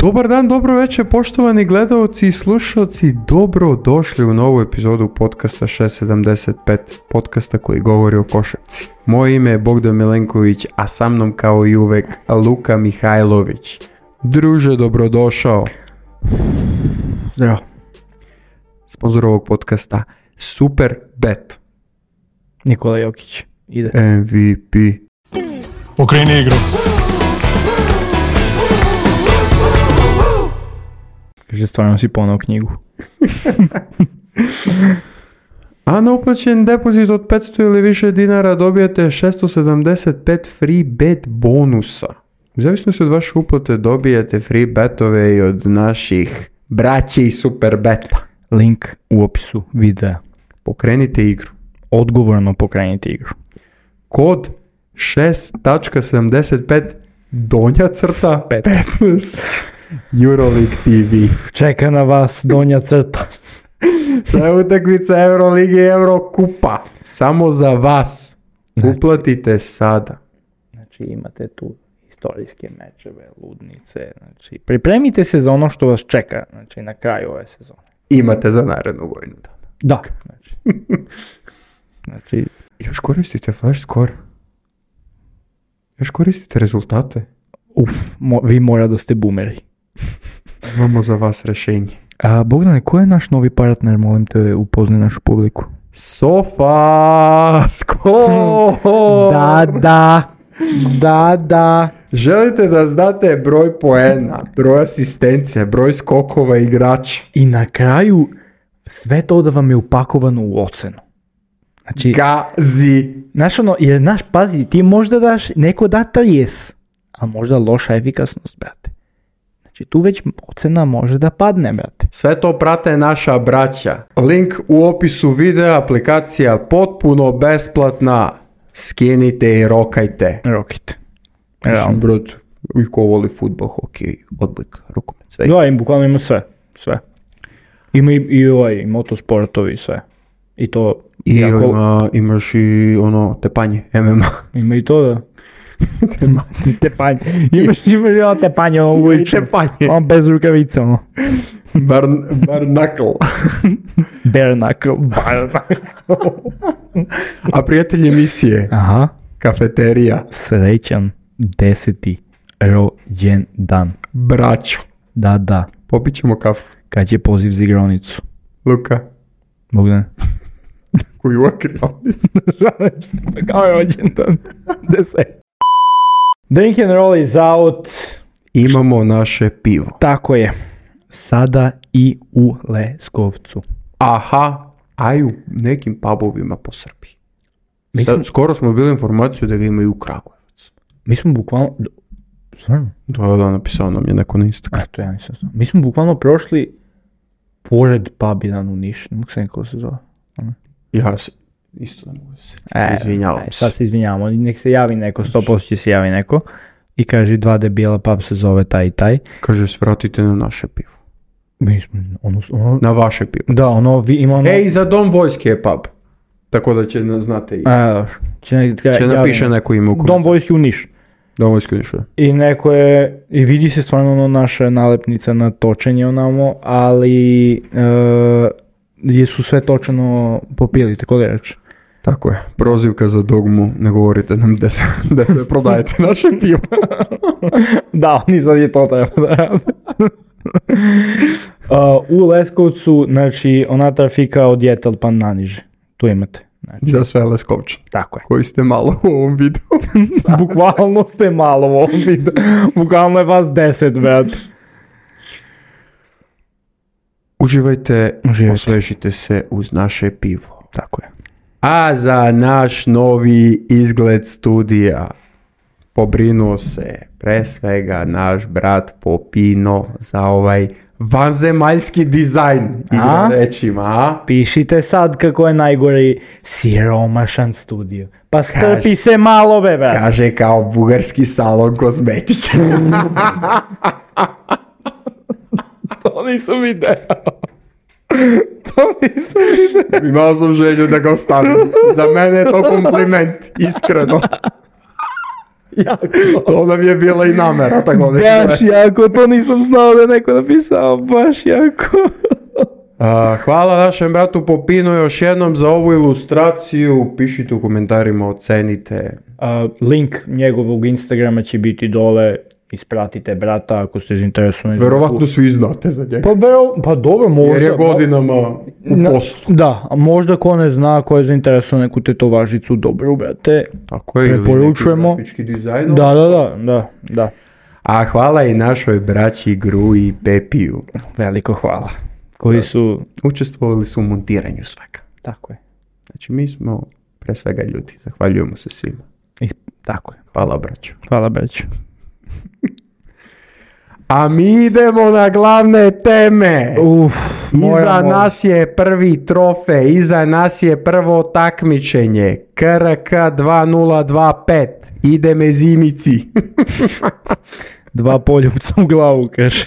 Dobar dan, dobro večer, poštovani gledalci i slušalci, dobro došli u novu epizodu podcasta 675, podcasta koji govori o košarci. Moje ime je Bogdan Milenković, a sa mnom kao i uvek Luka Mihajlović. Druže, dobrodošao. Zdravo. Sponzor ovog podcasta Superbet. Nikola Jokić ide. MVP. Okreni igru. Kaže, stvarno si ponao knjigu. A na uplaćen depozit od 500 ili više dinara dobijate 675 free bet bonusa. U zavisnosti od vaše uplate dobijate free betove i od naših braće i Superbeta. Link u opisu videa. Pokrenite igru. Odgovorno pokrenite igru. Kod 6.75 donja crta 15 Euroleague TV. Čeka na vas donja crta. Sve utakmice Euroligi i Eurokupa. Samo za vas. Uplatite sada. Znači imate tu historijske mečeve, ludnice. Znači, pripremite se za ono što vas čeka. Znači na kraju ove sezone. Imate za narednu godinu dana. Da. Znači još koristite flash score. Još koristite rezultate. Vi mora da ste boomeri. Imamo za vas rešenje. Bogdane, ko je naš novi partner? Molim te, upoznaj našu publiku. SofaScore! Da. Želite da znate broj poena, broj asistencija, broj skokova igrača. I na kraju sve to da vam je upakovano u ocenu. Znači, Gazi. Znaš jer pazi, ti možda daš, neko da 30, a možda loša efikasnost, brate. Znači tu već ocena može da padne, brate. Sve to prate naša braća. Link u opisu videa, aplikacija potpuno besplatna. Skinite i rokajte. Mislim, brat, i ko voli futbol, hokej, odbojka, rukomet, sve. Da, im bukvalno ima sve. Ima i motosportovi, sve. I to... I imaš i tepanje, MMA. Ima i to, da. Tepanje. Imaš i tepanje, on bez rukavica, Bar knuckle. Bare knuckle. A prijatelj emisije. Aha. Kafeterija. Srećan 10. rođendan. Braćo. Da. Popit ćemo kafu. Kad je poziv za igronicu? Luka. Bogdan. Koji uvijek igronicu. Žalim se, kao je rođendan. 10. Drink and roll is out. Imamo naše pivo. Tako je. Sada i u Leskovcu. Aha, a i u nekim pubovima po Srbiji. Skoro smo bili informaciju da ga imaju u Kragujevac. Mi smo bukvalno... Stvarno? Da, napisao nam je neko na Instagram. To ja nisam znao. Mi smo bukvalno prošli pored pub jedan u Niš. Ne mogu se nekako se zove. Ja se isto ne mogu se. Izvinjavam se. Sad se izvinjavamo. Nek se javi neko, 100% će se javi neko. I kaže, 2 debila, pub se zove taj i taj. Kaže, svratite na naše pivo. Mi smo, na vaše pivo. Da, ima Ej, za Dom vojske je pub. Tako da će znate i... će napiše neko ime u komentar. Dom vojske u Niš. Dom vojske u Niš, da. I neko je, i vidi se stvarno naša nalepnica na točenje onamo, ali su sve točeno popili, tako da reći. Tako je, prozivka za dogmu, ne govorite nam da sve prodajete naše pivo. Da, oni sad je to treba da rade. U Leskovcu, znači, ona trafika od Jetel pa naniže. Tu imate. Znači, za sve Leskovčane. Tako je. Koji ste malo u ovom videu. Bukvalno ste malo u ovom videu. Bukvalno je vas 10, brat. Uživajte, osvežite se uz naše pivo. Tako je. A za naš novi izgled studija pobrinuo se pre svega naš brat Popino za ovaj vanzemaljski dizajn igra rečima. Pišite sad kako je najgori siromašan studio. Pa strpi se malo, bebe. Kaže kao bugarski salon kozmetike. To nisam video. Imao sam želju da ga ostavim. Za mene je to kompliment, iskreno. Jako. To nam je bila i namera, tako da. Baš jako, to nisam znao da je neko napisao, baš jako. Hvala našem bratu Popinu još jednom za ovu ilustraciju. Pišite u komentarima, ocenite. Link njegovog Instagrama će biti dole. Ispratite brata ako ste zainteresovani. Verovatno svi znate za njega. Pa dobro, možda. Jer je godinama u poslu. Da, a možda ko ne zna, ko je zainteresovan neku tetovažicu, dobro, brate. Tako je, preporučujemo. ili neki grafički dizajn. Da. A hvala i našoj braći Gru i Pepiju. Veliko hvala. Koji su... Učestvovali su u montiranju svega. Tako je. Znači mi smo pre svega ljudi. Zahvaljujemo se svima. Tako je. Hvala braćo. Hvala braćo. A mi idemo na glavne teme. Iza nas je prvi trofej, iza nas je prvo takmičenje. KRK 2025. Ide me zimici. 2 poljupca u glavu, kaže.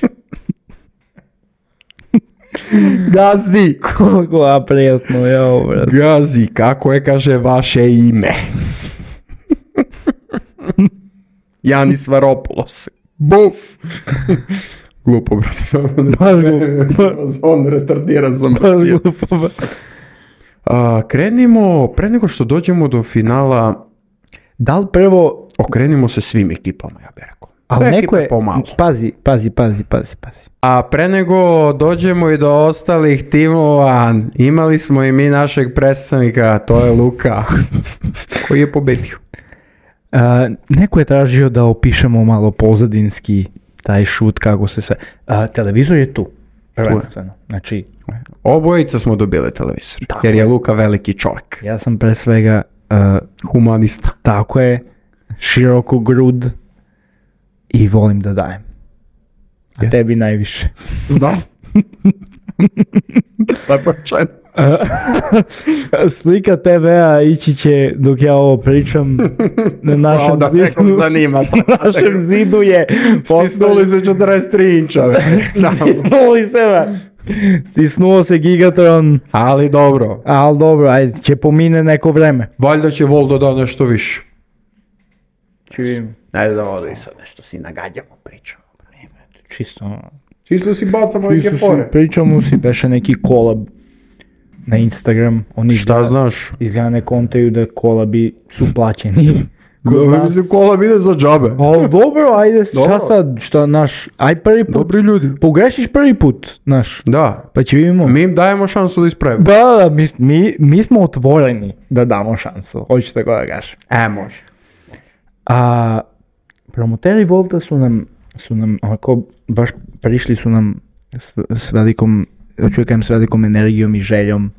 Gazi. Koliko aprijatno, jao, brate. Gazi, kako je, kaže, vaše ime? Janis Varopoulos. Bum! Glupo, brate. Baš glupo. On retardiran sam. Krenimo, pre nego što dođemo do finala, da li prvo... okrenimo se svim ekipama, ja bih rekao. Ali neko je... Pazi. A pre nego dođemo i do ostalih timova, imali smo i mi našeg predstavnika, to je Luka, koji je pobedio. Neko je tražio da opišemo malo pozadinski taj šut, kako se sve... televizor je tu, prvenstveno. Znači... Obojica smo dobili televizor, tako jer je Luka veliki čovjek. Ja sam pre svega... humanista. Tako je, široko grud i volim da dajem. A tebi najviše. Znam. Lepo rečeno. Slika TV-a ići će dok ja ovo pričam na našem zidu. Našem zidu je stisnuli se 43 inčave. Stisnuo se Gigatron. Ali dobro, ajde, će pomine neko vreme. Valjda će Voldo da nešto više. Čujem. Ajde da vodu i sad nešto si nagađamo, pričamo. Čisto si bacamo neke fore. Pričamo si, beše neki kolab na Instagram. Oni šta znaš? Izgleda ne kontaju da kolabi su plaćeni. Mislim, kolab ide za džabe. Ali dobro, ajde, šta naš, aj prvi put. Dobri ljudi. Pogrešiš prvi put, naš. Da. Pa će vidimo. Mi im dajemo šansu da ispravimo. Da, mi smo otvoreni da damo šansu. Hoću tako da kažem. Može. A promoteri Volta su nam onako, baš prišli su nam s velikom, s velikom energijom i željom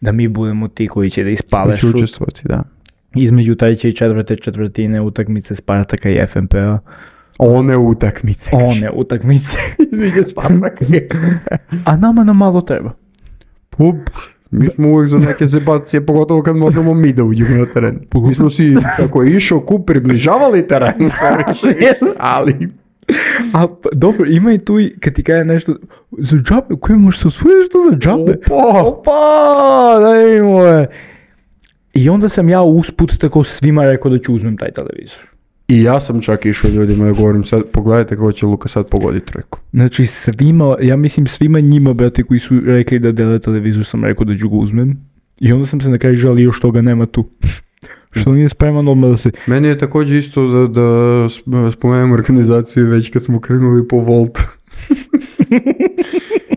da mi budemo ti koji će da ispale šut. Učestvovati, da. Između treće i četvrte četvrtine utakmice Spartaka i FNP-a. One utakmice. Između Spartaka i FNP-a. A nama malo treba. Mi smo uvijek za neke zebacije, pogotovo kad možemo mi da uđemo na teren. Mi smo si, kako je išao kup, približavali teren. Ali... A dobro, ima i tu, kad ti kaže nešto za džabe, koje možeš se osvojiti što za džabe? Opa, da imamo je. I onda sam ja usput tako svima rekao da ću uzmem taj televizor. I ja sam čak išao ljudima da govorim sad, pogledajte kako će Luka sad pogoditi trojku. Znači svima, ja mislim svima njima, brate, koji su rekli da dele televizor, sam rekao da ću ga uzmem. I onda sam se na kraju žalio što ga nema tu. Što nije spreman odmah da se... Meni je također isto da spomenem organizaciju već kad smo krenuli po Voltu.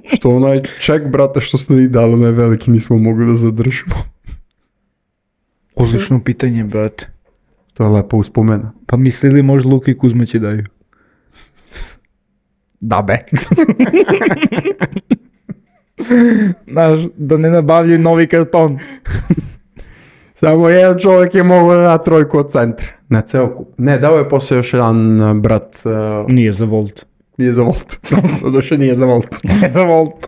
Što onaj ček, brate, što ste i dali, onaj veliki nismo mogli da zadržimo. Odlično pitanje, brate. To je lepo uspomena. Pa mislili možda Luka i Kuzma će daju? Da be. Znaš, da ne nabavljaju novi karton. Samo jedan čovjek je mogao da da trojku od centra. Na ceo kup. Ne, dao je posle još jedan brat. Nije za Volt. Nije za Volt. Došao nije za Volt. Nije za Volt.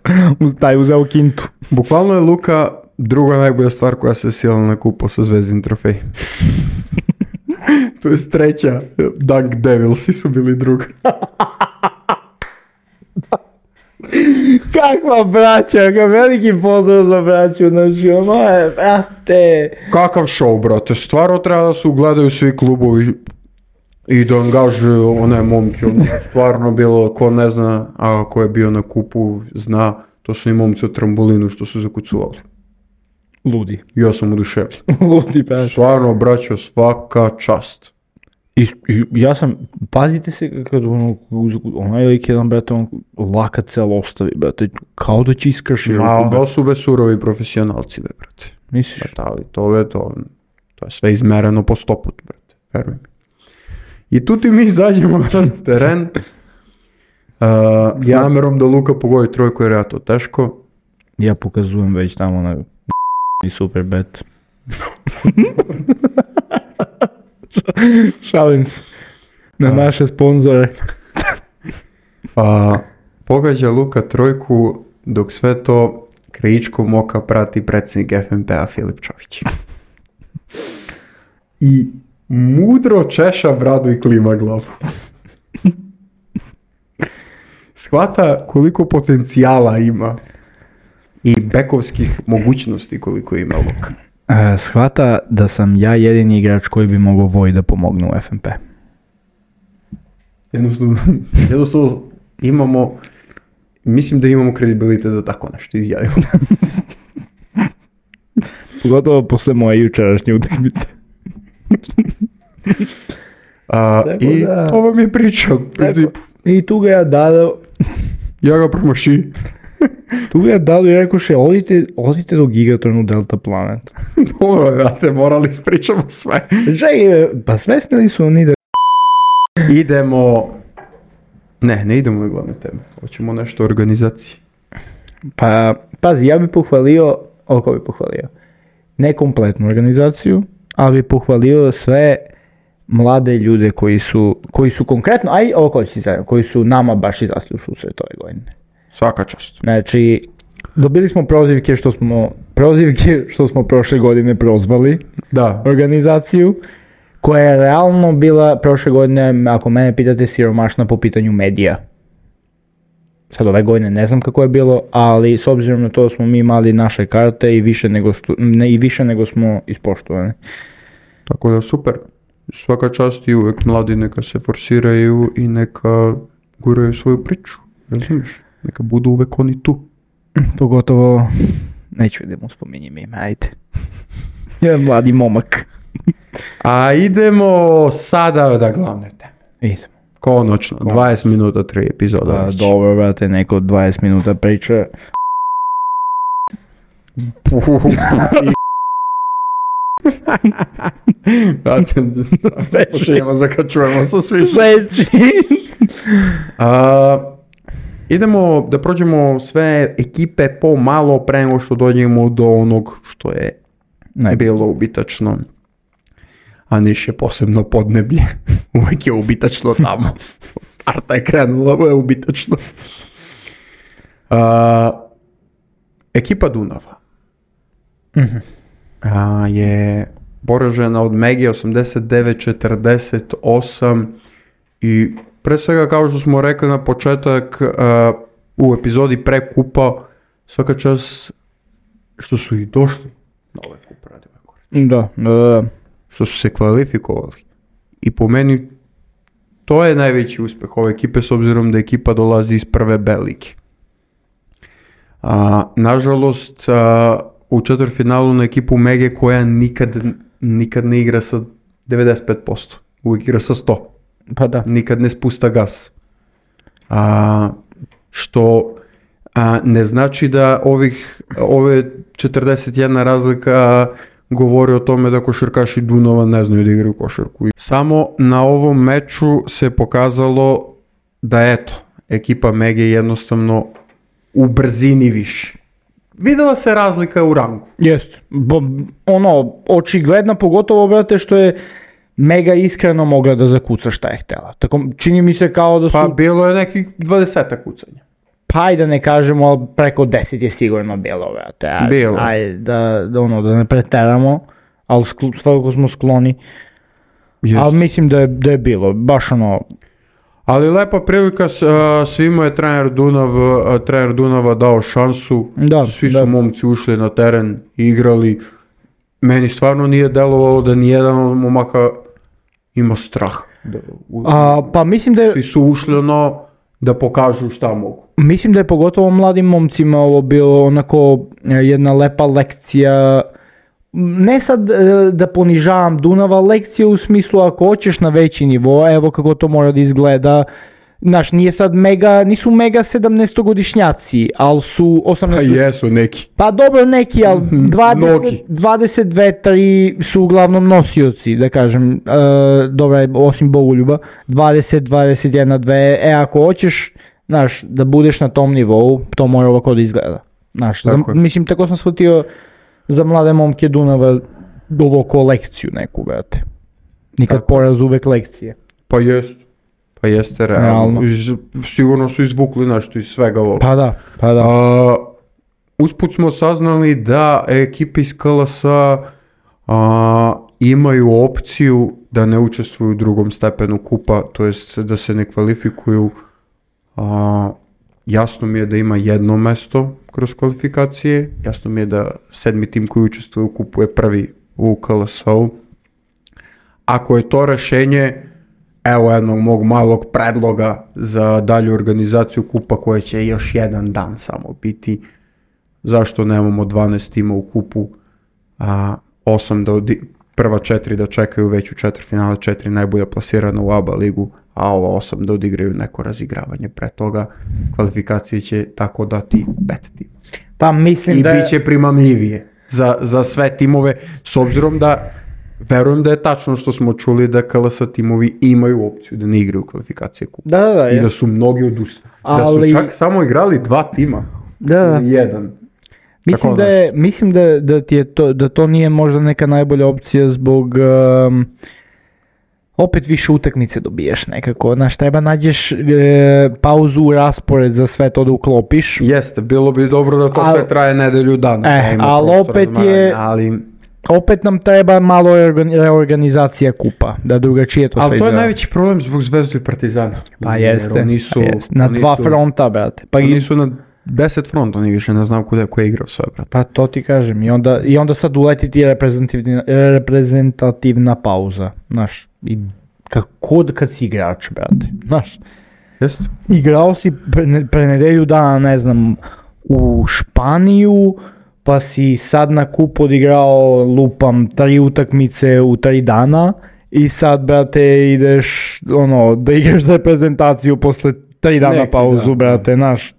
Taj uzeo kintu. Bukvalno je Luka druga najbolja stvar koja se sjela na kupu sa Zvezdin trofej. To je treća. Dunk Devilsi su bili druga. Kakva braća, veliki pozdrav za braću, znači ono je, brate. Kakav show, brate, stvarno treba da se ugledaju svi klubovi. I da angažuju one momke, stvarno bilo, ko ne zna, a ko je bio na kupu, zna, to su i momci od trambolinu što su zakucuvali. Ludi. Ja sam oduševljen. Ludi, pa. Stvarno, braćo, svaka čast. I ja sam, pazite se kad onaj lik jedan, brate, on laka cel ostavi, brate, kao da će iskrši ruku. To su bez surovi profesionalci, brate. Misliš? Ali to je sve izmereno po 100 put, brate, veruj mi. I tu ti mi izađemo na teren s namerom da Luka pogodi trojku jer je to teško. Ja pokazujem već tamo na i super bet. Šalim se. Na naše sponzore. Pogađa Luka trojku dok sve to krajičkom oka prati predsjednik FNP-a Filip Čović. I mudro češa bradu i klima glavu. Shvata koliko potencijala ima i bekovskih mogućnosti koliko ima Luka. Shvata da sam ja jedini igrač koji bi mogao Voj da pomogne u FNP. Jednostavno imamo, mislim da imamo kredibilitet da tako nešto izjavimo. Pogotovo posle moje jučerašnje utakmice. I da, to vam je priča u principu. I tu ga ja dao. Ja ga promaši. Tu ga ja dao i rekoše, odite do Gigatronu Delta Planet. Dobro, brate, morali ispričamo sve. Pa svesnili su oni da... Idemo... Ne idemo na glavne teme. Hoćemo nešto o organizaciji. Pa, pazi, ja bih pohvalio, oko bih pohvalio, ne kompletnu organizaciju, ali bih pohvalio sve mlade ljude koji su konkretno, koji su nama baš izašli u susret ove godine. Svaka čast. Znači, dobili smo prozivke što smo prošle godine prozvali organizaciju, koja je realno bila prošle godine, ako mene pitate, siromašna po pitanju medija. Sad ove godine ne znam kako je bilo, ali s obzirom na to smo mi imali naše karte i više nego smo ispoštovani. Tako da super. Svaka čast i uvek mladi neka se forsiraju i neka guraju svoju priču. Razumiješ? Neka budu uvek oni tu. Pogotovo, neću da mu spominjem ime, ajde. Jedan mladi momak. A idemo sada da glavne teme. Idemo. Konačno, 20 minuta, 3 epizoda. Dobro, brate, neko 20 minuta priča. Brate, počinjemo zakačujemo sa svi. Idemo da prođemo sve ekipe po malo pre nego što dođemo do onog što je bilo ubitačno. A Niš je posebno podneblje. Uvijek je ubitačno tamo. Od starta je krenulo, ovo je ubitačno. Ekipa Dunava je poražena od Mege 89-48 i pre svega kao što smo rekli na početak u epizodi pre kupa, svaka čast što su i došli na ovaj kup Radivoj Korać. Da. Što su se kvalifikovali. I po meni to je najveći uspjeh ove ekipe s obzirom da ekipa dolazi iz prve B lige. Nažalost, u četvrtfinalu na ekipu Mege koja nikad ne igra sa 95%. Uvijek igra sa 100%. Pa da. Nikad ne spusta gas. Što ne znači da ove 41 razlika govori o tome da košarkaši Dunava ne znaju da igraju košarku. Samo na ovom meču se pokazalo da ekipa Mege jednostavno u brzini više. Videla se razlika u rangu. Jest. Očigledna, pogotovo, brate, što je Mega iskreno mogla da zakuca šta je htjela. Tako, čini mi se kao da su... Pa bilo je nekih 20 kucanja. Pa i da ne kažemo, ali preko 10 je sigurno bilo, brate. Bilo. Ajde, da ne preteramo, ali svakako smo skloni. Jest. Ali mislim da je bilo, baš Ali lepa prilika, svima je trener Dunava dao šansu, svi su momci ušli na teren, igrali. Meni stvarno nije delovalo da nijedan od momaka ima strah. Pa mislim da je... Svi su ušli da pokažu šta mogu. Mislim da je pogotovo mladim momcima ovo bilo onako jedna lepa lekcija, ne sad da ponižavam Dunava, lekcija u smislu ako hoćeš na veći nivo, evo kako to mora da izgleda. Znaš, nisu mega 17-godišnjaci, ali su 18... Pa jesu neki. Pa dobro neki, ali 22-3 su uglavnom nosioci, da kažem, dobro, osim Bogoljuba, 20-21-2, ako hoćeš, znaš, da budeš na tom nivou, to mora ovako da izgleda. Znaš, mislim, tako sam shvatio za mlade momke Dunava ovo ko lekciju neku, brate. Nikad poraz, uvek lekcije. Pa jeste realno. Sigurno su izvukli nešto iz svega ovoga. Pa da. Usput smo saznali da ekipe iz KLS-a imaju opciju da ne učestvuju u drugom stepenu kupa, to jest da se ne kvalifikuju. Jasno mi je da ima jedno mesto kroz kvalifikacije, jasno mi je da 7. tim koji učestvuje u kupu je prvi u KLS-u. Ako je to rešenje, evo jednog mog malog predloga za dalju organizaciju kupa koja će još jedan dan samo biti. Zašto nemamo 12 tima u kupu, 8 prva 4 da čekaju već u četvrtfinale, 4 najbolja plasirana u ABA ligu, a ova 8 da odigraju neko razigravanje pre toga. Kvalifikacije će tako dati 5 tima. Pa mislim i bit će primamljivije za sve timove, s obzirom da verujem da je tačno što smo čuli da KLS timovi imaju opciju da ne igraju kvalifikacije kupa. Da, i da su mnogi odustali. Da su čak samo igrali 2 tima. Da. Jedan. Mislim da to nije možda neka najbolja opcija zbog opet više utakmice dobiješ nekako. Znaš, treba nađeš pauzu u raspored za sve to da uklopiš. Jeste, bilo bi dobro da to sve traje nedelju dana. Ali opet nam treba malo reorganizacija kupa, da drugačije to sve izgleda. Ali to je najveći problem zbog Zvezdu i Partizana. Pa jeste, na 2 fronta, brate. Oni su na 10 fronta, oni više ne znam ko je igrao sve, brate. Pa to ti kažem, i onda sad uleti ti reprezentativna pauza, znaš, i kad si igrač, brate, znaš. Jeste. Igrao si pre nedelju dana, ne znam, u Španiju, pa si sad na kup odigrao, lupam, 3 utakmice u 3 dana i sad, brate, ideš, da igraš za reprezentaciju posle 3 dana pauzu, brate, znaš.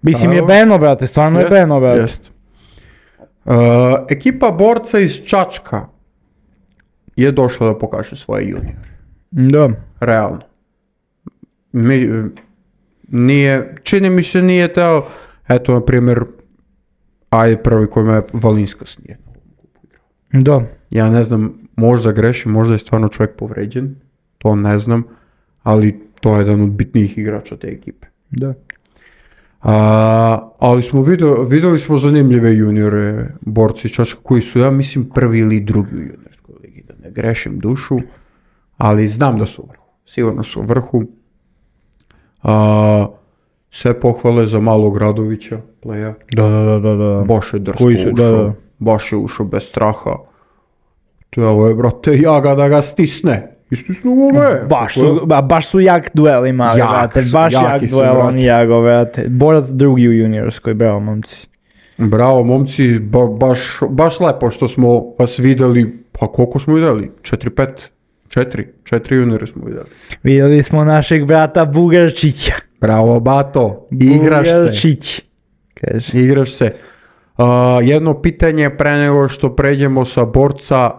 Mislim, je beno, brate, stvarno je beno, brate. Jest. Ekipa borca iz Čačka je došla da pokaže svoje juniore. Da. Realno. Čini mi se nije teo, eto, na primjer, prvi koji me Valinskas nije na ovom kupu igrao. Da. Ja ne znam, možda grešim, možda je stvarno čovjek povređen, to ne znam, ali to je jedan od bitnijih igrača te ekipe. Da. Ali smo vidjeli smo zanimljive juniore, borci iz Čačka koji su, ja mislim, prvi ili drugi u juniorskoj ligi, da ne grešim dušu, ali znam da su u vrhu, sigurno su u vrhu. Sve pohvale za malog Radovića, playa. Da. Baš je drsko ušao, baš je ušao bez straha. To je, brate, jaga da ga stisne. Istisnu ove. Baš su jak duel imali, brate. Baš jak duel oni jago, brate. Borac drugi u juniorskoj, bravo momci. Bravo momci, baš lepo što smo vas vidjeli. Pa koliko smo vidjeli? 4 juniore smo vidjeli. Vidjeli smo našeg brata Bugarčića. Bravo bato, igraš Bugarčić. se. Igraš se. Jedno pitanje pre nego što pređemo sa borca,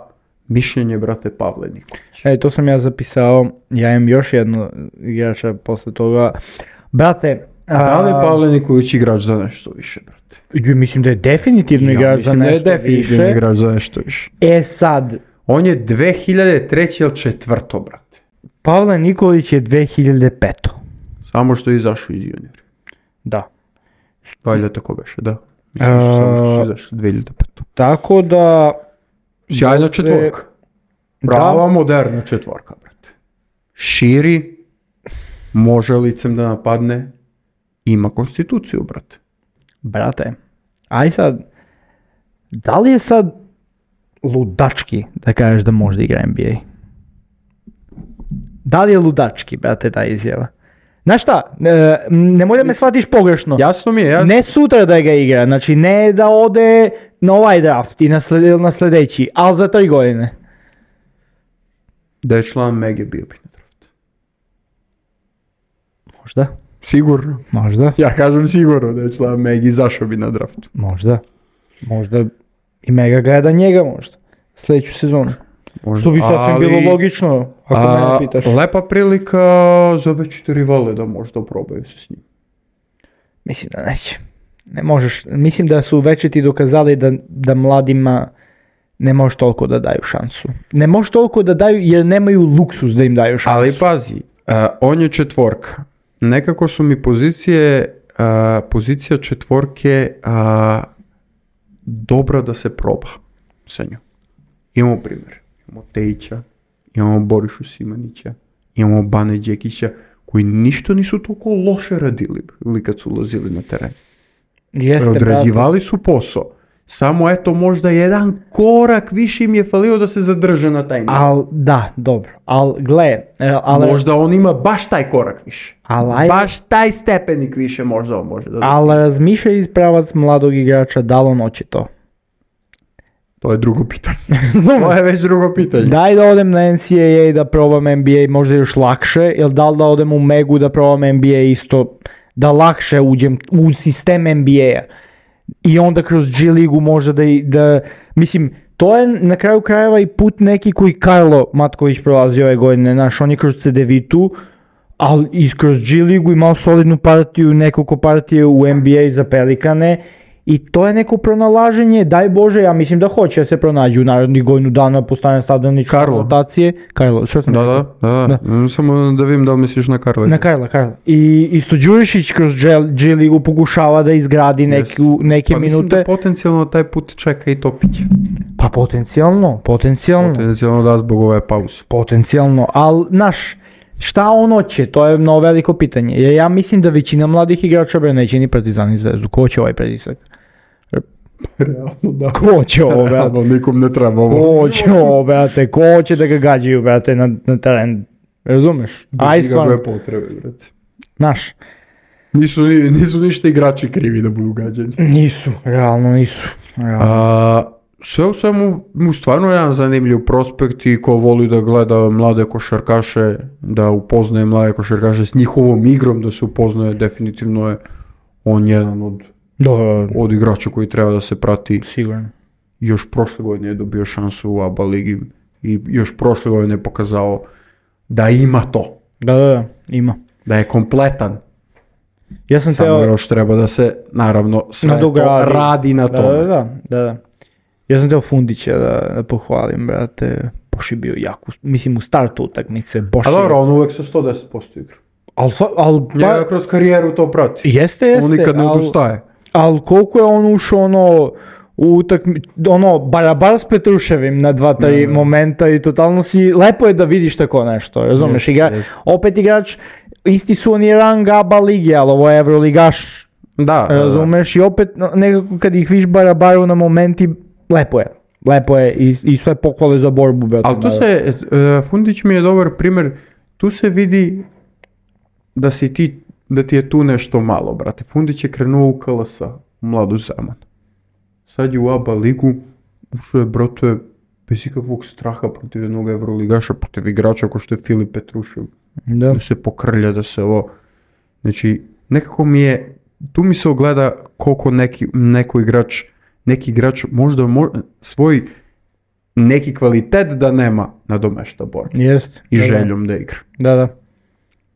mišljenje brate Pavle Nikolić. To sam ja zapisao, ja imam još jedno igrača posle toga. Brate, da li je Pavle Nikolić igrač za nešto više, brate? Mislim da je definitivno igrač za nešto više. Mislim da je definitivno igrač za nešto više. Sad. On je 2003. ili 2004. brate. Pavle Nikolić je 2005. Samo što je izašao iz juniora. Da. Valjda tako beše, da. Mislim samo što su izašli 2005. Tako da... Sjajna četvorka. Prava moderna četvorka, brate. Širi, može licem da napadne, ima konstituciju, brate. Brate, aj sad, da li je sad ludački da kažeš da može da igra NBA? Da li je ludački, brate, ta izjava? Znaš šta, nemoj da me shvatiš pogrešno. Jasno mi je, jasno. Ne sutra da ga igra, znači ne da ode na ovaj draft i na sljedeći, ali za 3 godine. Da je član Mege bio bi na draft. Možda. Sigurno. Možda. Ja kažem sigurno da je član Mege, zašao bi na draft. Možda. Možda i Mega gleda njega možda. Sljedeću sezonu. Možda, Što bi sasvim bilo logično, ako mene pitaš. Lepa prilika za veći rivale da možda probaju se s njim. Mislim da neće. Ne možeš. Mislim da su večiti dokazali da mladima ne možeš toliko da daju šansu. Ne možeš toliko da daju jer nemaju luksus da im daju šansu. Ali pazi, on je četvorka. Nekako su mi pozicija četvorke dobra da se proba sa njom. Imamo primjer. Imamo Tejića, imamo Borišu Simanića, imamo Bane Đekića, koji ništa nisu toliko loše radili ili kad su ulazili na teren. Odrađivali su posao. Samo eto možda jedan korak više im je falio da se zadrže na taj način. Da, dobro. Možda on ima baš taj korak više. Baš taj stepenik više možda on može da... Ali razmišljaj iz pravac mladog igrača, da li on hoće to? To je drugo pitanje. To je već drugo pitanje. Daj da odem na NCAA i da probam NBA možda još lakše, ili da li da odem u Megu da probam NBA isto, da lakše uđem u sistem NBA-a. I onda kroz G ligu možda da mislim, to je na kraju krajeva i put neki koji Karlo Matković prolazio ove godine, znaš, on je kroz CDV-tu, ali i kroz G ligu imao solidnu partiju, nekoliko partije u NBA za Pelikane. I to je neko pronalaženje, daj Bože, ja mislim da hoće da se pronađu u narednih godinu dana, postane stavljeni rotacije. Karlo, što sam rekao? Da. Samo da vidim da li misliš na Karla. Na Karla. I isto Đurišić kroz G ligu pokušava da izgradi neke minute. Pa mislim da potencijalno taj put čeka i Topić. Pa potencijalno. Potencijalno da zbog ove pauze. Potencijalno, ali naš... Šta on hoće, to je mnogo veliko pitanje. Jer ja mislim da većina mladih igrača neće ni Partizan i Zvezdu. Ko će ovaj pritisak? Realno da. Ko će ovo, brate? Realno nikom ne treba ovo. Ko će ovo, brate? Ko će da ga gađaju, brate, na teren? Razumeš? Bez ikakve potrebe, brate. Znaš? Nisu ništa igrači krivi da budu gađani. Realno nisu. Sve u svemu mu stvarno jedan zanimljiv prospekt i ko voli da gleda mlade košarkaše, da upoznaje mlade košarkaše s njihovom igrom, da se upoznaje, definitivno je on jedan od igrača koji treba da se prati. Sigurno. Još prošle godine je dobio šansu u ABA ligi i još prošle godine je pokazao da ima to. Da, ima. Da je kompletan. Ja sam samo još treba da se, naravno, sve to radi na to. Da. Ja sam teo Fundića da pohvalim, brate, Boš je bio jak, mislim u startu utakmice. A dobro, on uvek sa 110% igra. Njega kroz karijeru to prati. Jeste. On nikad ne odustaje. Ali koliko je on ušao u utakmicu, barabar s Petruševim na 2-3 momenta i totalno lepo je da vidiš tako nešto, razumeš, opet igrač, isti su oni rang ABA ligi, ali ovo je Evroligaš, razumeš, i opet nekako kad ih viš barabaru na momenti, lepo je i sve pohvale za borbu. Ali tu se, Fundić mi je dobar primjer, tu se vidi da ti je tu nešto malo, brate. Fundić je krenuo u KLS, u Mladu Zemun. Sad je u ABA ligu, ušao je, brate, bez ikakvog straha protiv jednog Evroligaša, protiv igrača ko što je Filip Petrušev. Da se pokrlja, da se ovo... Znači, nekako tu mi se ogleda koliko neki igrač možda svoj neki kvalitet da nema nadomešta borbu. I željom da igra. Da.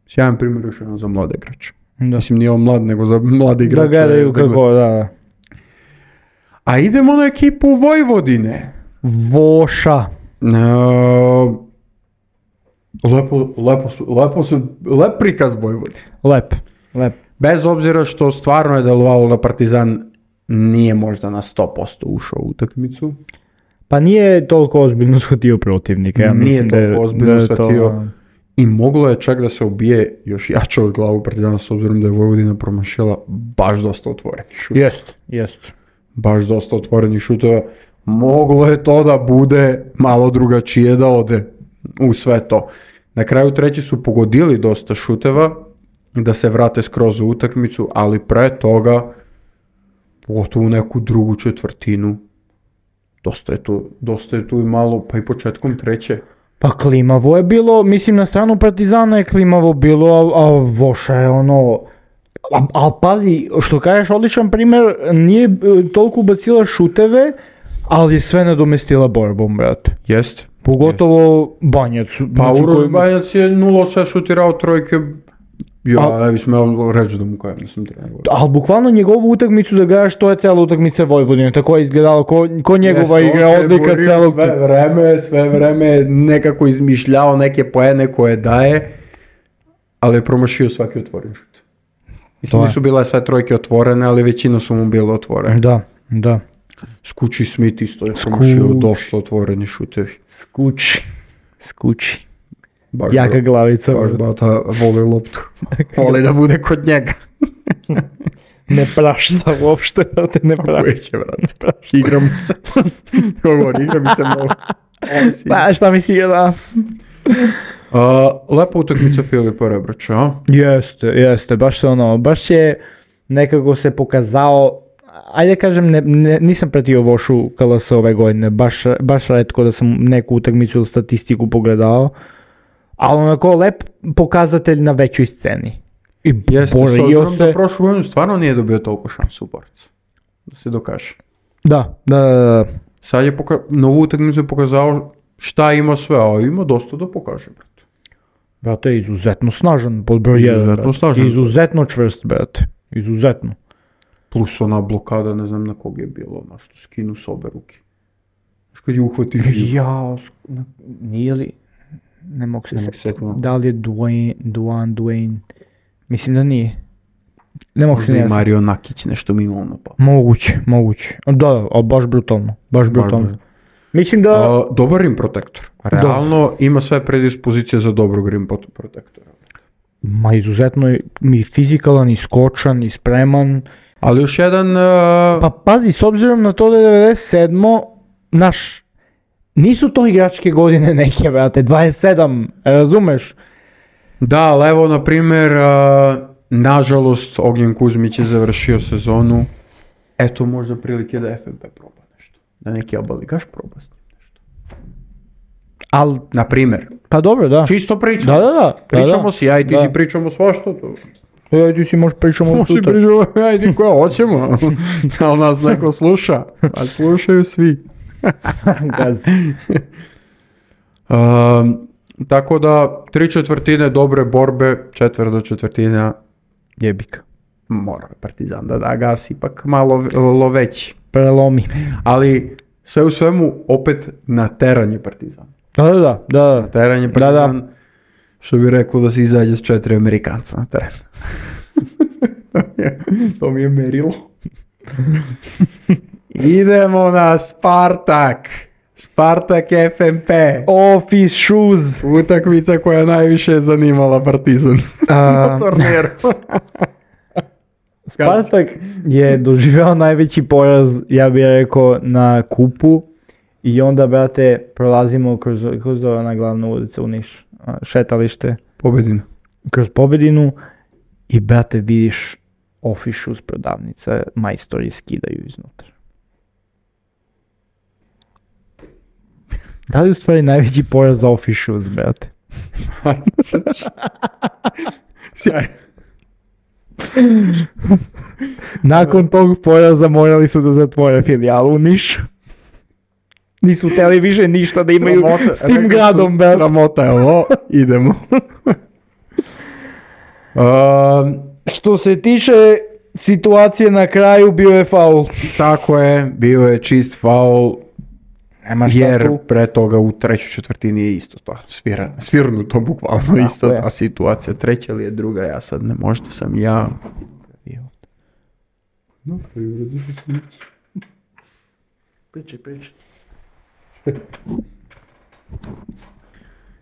Sjajan primjer još jedan za mlade igrače. Mislim, nije on mlad, nego za mlade igrače. Da gledaju kako, da. A idemo na ekipu Vojvodine. Voša. Lep prikaz Vojvodine. Lep. Bez obzira što stvarno je delovalo da Partizan nije možda na 100% ušao u utakmicu. Pa nije toliko ozbiljno shvatio protivnika. Ja nije toliko ozbiljno shvatio. I moglo je čak da se ubije još jače od glavu Partizana s obzirom da je Vojvodina promašila baš dosta otvorenih šutova. Jest. Baš dosta otvorenih šutova. Moglo je to da bude malo drugačije, da ode u sve to. Na kraju treći su pogodili dosta šuteva da se vrate skroz u utakmicu, ali pre toga, pogotovo u neku drugu četvrtinu, dosta je tu i malo, pa i početkom treće. Pa klimavo je bilo, mislim na stranu Partizana je klimavo bilo, a Voša je ono... Ali pazi, što kažeš, odličan primjer, nije toliko ubacila šuteve, ali je sve nadomestila borbom, brate. Jest. Pogotovo Banjac. Pa Uroš Banjac je 0-6 šutirao trojke, ne bi smeo reći da mu kajem, nisam trebao. Ali bukvalno njegovu utakmicu da gledaš, to je cijela utakmica Vojvodine, tako je izgledalo ko njegova igra odlika celog... Sve vreme nekako izmišljao neke poene koje daje, ali je promašio svaki otvoren šut. Mislim, nisu bile sve trojke otvorene, ali većina su mu bile otvorene. Da. Skuči Smith isto je promašio dosta otvoreni šutevi. Skuči. Jaka glavica. Baš bata voli loptu. Voli da bude kod njega. Ne prašta uopšte, brate, ne prašta. Igram se. Igram se mnogo. Pa šta mi si igra danas? Lepa utakmica Filipa Rebraća, a? Jeste, baš je nekako se pokazao, ajde kažem, nisam pratio Vošu KLS ove godine, baš retko da sam neku utakmicu ili statistiku pogledao, ali onako lep pokazatelj na većoj sceni. I jeste, s obzirom da prošlu godinu stvarno nije dobio toliko šansu u borcu, da se dokaže. Da. Sad je novu utakmicu je pokazao šta ima sve, a ima dosta da pokaže, brate. Brate, izuzetno snažan pod broj 1, izuzetno čvrst, brate, izuzetno. Plus ona blokada, ne znam na kog je bilo, na što skinu s obe ruke. Znaš kad je uhvati živ. Nije li, ne mogu se sjetiti, da li je Dwayne, mislim da nije. Ne mogu se možda i Mario Nakić nešto mi imao na papu. Moguće, da, ali baš brutalno. Mislim da... dobar rim protektor. Realno ima sve predispozicije za dobrog rim protektora. Ma izuzetno je i fizikalan, i skočan, i spreman. Ali još jedan... Pa pazi, s obzirom na to da je 97. Nisu to igračke godine neke, brate, 27, razumeš? Da, ali evo, na primjer, nažalost, Ognjen Kuzmić je završio sezonu. Eto, možda prilike da FNP proba nešto. Da neki abaligaš proba s njim nešto. Ali, na primjer. Pa dobro, da. Čisto pričamo. Da. Pričamo si, ja i ti si pričamo svašta to. Ja i ti si možeš pričamo sutra. Ja i ti koja hoćemo. Ali nas neko sluša. A slušaju svi. Tako da, 3/4 dobre borbe, 1/4 jebika. Mora Partizan da gasi, ipak malo loveći. Prelomi. Ali sve u svemu opet na teranje Partizan. Da. Na teranje Partizan, što bi reklo da se izađe s 4 Amerikanca na teren. To mi je merilo. Idemo na Spartak FNP. Office Shoes. Utakmica koja najviše zanimala Partizan na turniru. Spartak je doživio najveći poraz, ja bih rekao, na kupu i onda, brate, prolazimo kroz ona glavna ulica u Niš, šetalište. Pobedina. Kroz Pobedinu i, brate, vidiš Office Shoes prodavnica, majstori skidaju iznutra. Da li u stvari najveći poraz za Office Shoes, brate? Sjaj. Nakon tog poraza morali su da zatvore filijalu u Nišu. Nisu htjeli više ništa da imaju s tim gradom, brate. Sramota je ovo, idemo. Što se tiče situacije na kraju, bio je faul. Tako je, bio je čist faul. Jer pre toga u 3/4 je isto to svirnuto bukvalno isto ta situacija. 3. ili je 2, ja sad ne, možda sam ja. Priči.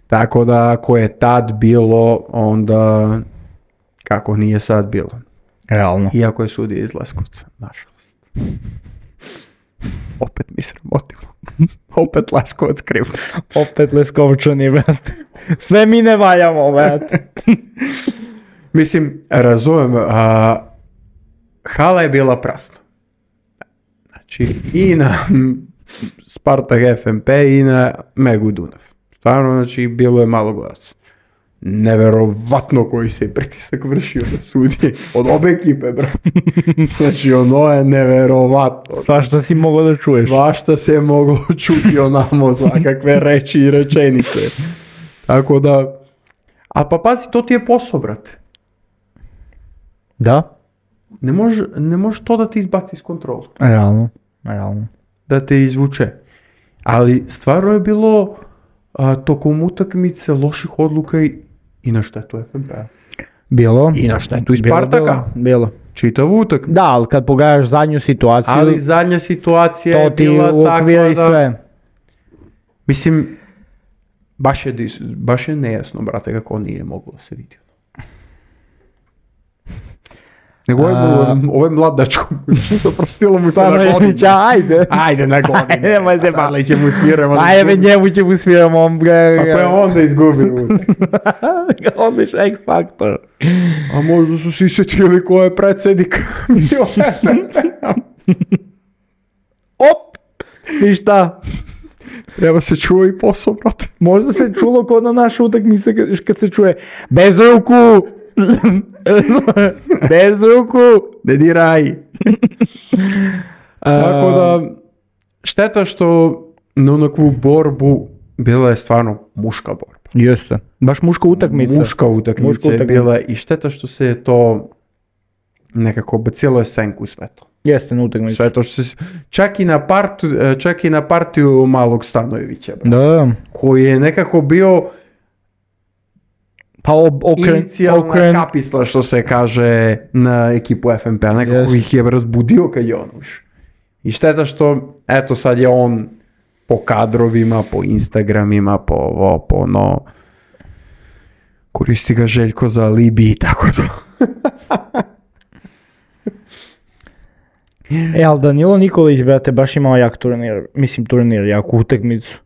Tako da ako je tad bilo, onda kako nije sad bilo. Realno. Iako je sudija iz Leskovca, nažalost. Opet mi sramotimo. Opet Leskovac kriv. Opet Leskovčani, brate. Sve mi ne valjamo, brate. Mislim, razumem, hala je bila prazna. Znači, i na Spartak FNP i na Megu Dunav. Stvarno, znači, bilo je malo gledaca. Neverovatno koji se pritisak vršio na sudije od obe ekipe, brate. Znači, ono je neverovatno. Svašta si mogao da čuješ. Svašta se je moglo čuti onamo, svakakve reči i rečenice. Tako da, a pa pazi, to ti je posao, brate. Da? Ne može to da ti izbaci iz kontrola. Realno. Da te izvuče. Ali stvarno je bilo tokom utakmice loših odluka i na štetu FNP-a. Bilo. I na štetu iz Spartaka. Bilo. Čitavu utakmicu. Da, ali kad pogledaš zadnju situaciju... Ali zadnja situacija je bila takva da... sve. Mislim, baš je nejasno, brate, kako nije moglo da se vidi. Nego ovo je mladačko, zaprostilo mu se na godinu. Ajde na godinu, sad ćemo sviramo. Ajde, njemu ćemo sviramo. Ako je onda izgubio. Onda je X Factor. A možda su svi sjetili ko je predsjednik. Op! I šta? Treba se čuo i posao, brate. Možda se čulo kod na naše utakmice kad se čuje bez ruku! Bez ruku! Ne diraj! Tako da, šteta što na onakvu borbu bila je stvarno muška borba. Jeste, baš muška utakmica. Muška utakmica je bila i šteta što se je to nekako bacilo je senku sve to. Jeste na utakmici. Sve to što se, čak i na partiju malog Stanojevića, da. Koji je nekako bio pa inicijalna kapisla, što se kaže, na ekipu FNP-a. Nekako ih je razbudio kad je on ušao. I šteta što, eto sad je on po kadrovima, po Instagramima, po ovo, po ono, koristi ga Željko za alibi i tako to. Ali Danilo Nikolić, brate, baš imao jak turnir, jaku utakmicu.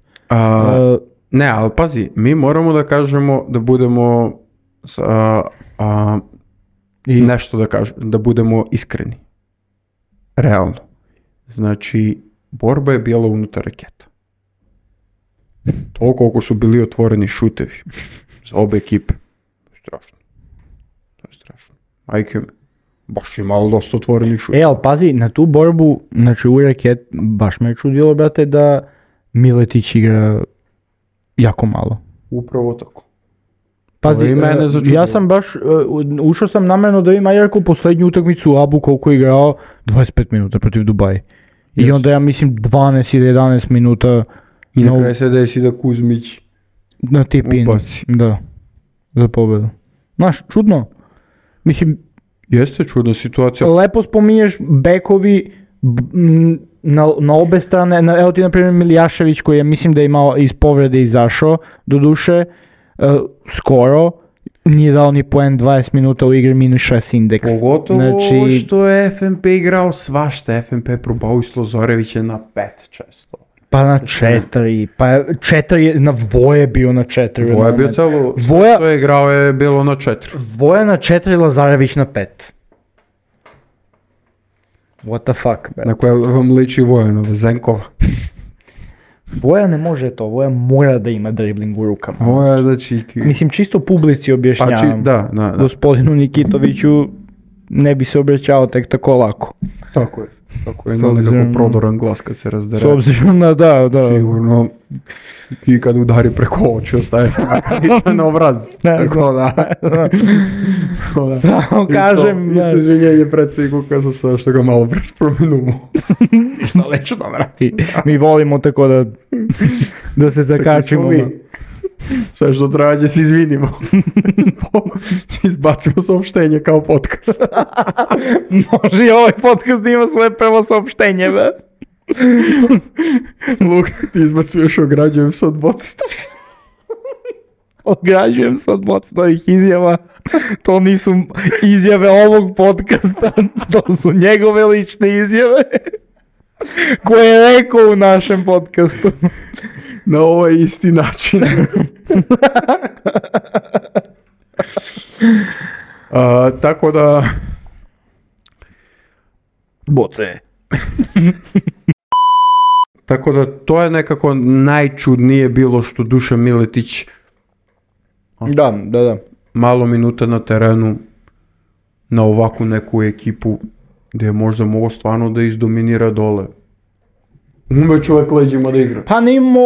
Ne, ali pazi, mi moramo da kažemo da budemo nešto da kažemo, da budemo iskreni. Realno. Znači, borba je bila unutar raketa. To koliko su bili otvoreni šutevi za obe ekipe. Strašno. To je strašno. Majke, baš je malo dosta otvoreni šutevi. Ali pazi, na tu borbu, znači u raket, baš me je čudilo, brate, da Miletić igra jako malo. Upravo tako. Pazi, ja sam baš, ušao sam namjerno da ima Jarko posljednju utakmicu u Abu koliko je igrao 25 minuta protiv Dubaja. I onda ja mislim 12 ili 11 minuta. I na kraju se desi da Kuzmić na tip-in. Da, za pobedu. Znaš, čudno. Mislim, jeste čudna situacija. Lepo spominješ bekovi na obe strane, evo ti na primjer Miljašević koji je mislim da je imao iz povrede izašao, doduše, skoro, nije dao ni poen 20 minuta u igri -6 indeks. Pogotovo što je FNP igrao svašta, FNP probao i Slozorevića na 5 često. Pa na 4, pa 4, na Voje bio na 4. Voje bio celo, što je igrao je bilo na 4. Voja na 4, Lazarević na 5. What the fuck, man. Na koje vam liči Vojanova, Zenkova. Voja ne može to, Voja mora da ima dribling u rukama. Voja da čiti. Mislim, čisto publici objašnjavam. Da. Gospodinu Nikitoviću ne bi se obraćao tek tako lako. Tako je. Tako je, ima nekako prodoran glas kad se razdere. S obzirom na da. Sigurno, i kad udari preko oči ostaje na obraz. Tako da. Samo kažem. Isto izvinjenje predsjedniku KSS što ga malo prespomenuo. Što leću da vrati. Mi volimo tako da se zakačimo. Sve što traže se izvinimo. Izbacimo saopštenje kao podcast. Može i ovaj podcast da ima svoje prvo saopštenje, be. Luka, ti izbacuješ ograđujem se od bocita. Ograđujem se od bocitovih izjava. To nisu izjave ovog podcasta, to su njegove lične izjave. Koje je rekao u našem podcastu. Na ovaj isti način. Tako da... Boce. Tako da to je nekako najčudnije bilo što Dušan Miletić Da. malo minuta na terenu na ovakvu neku ekipu gdje je možda mogo stvarno da izdominira dole. Ume čovjek leđima da igra. Pa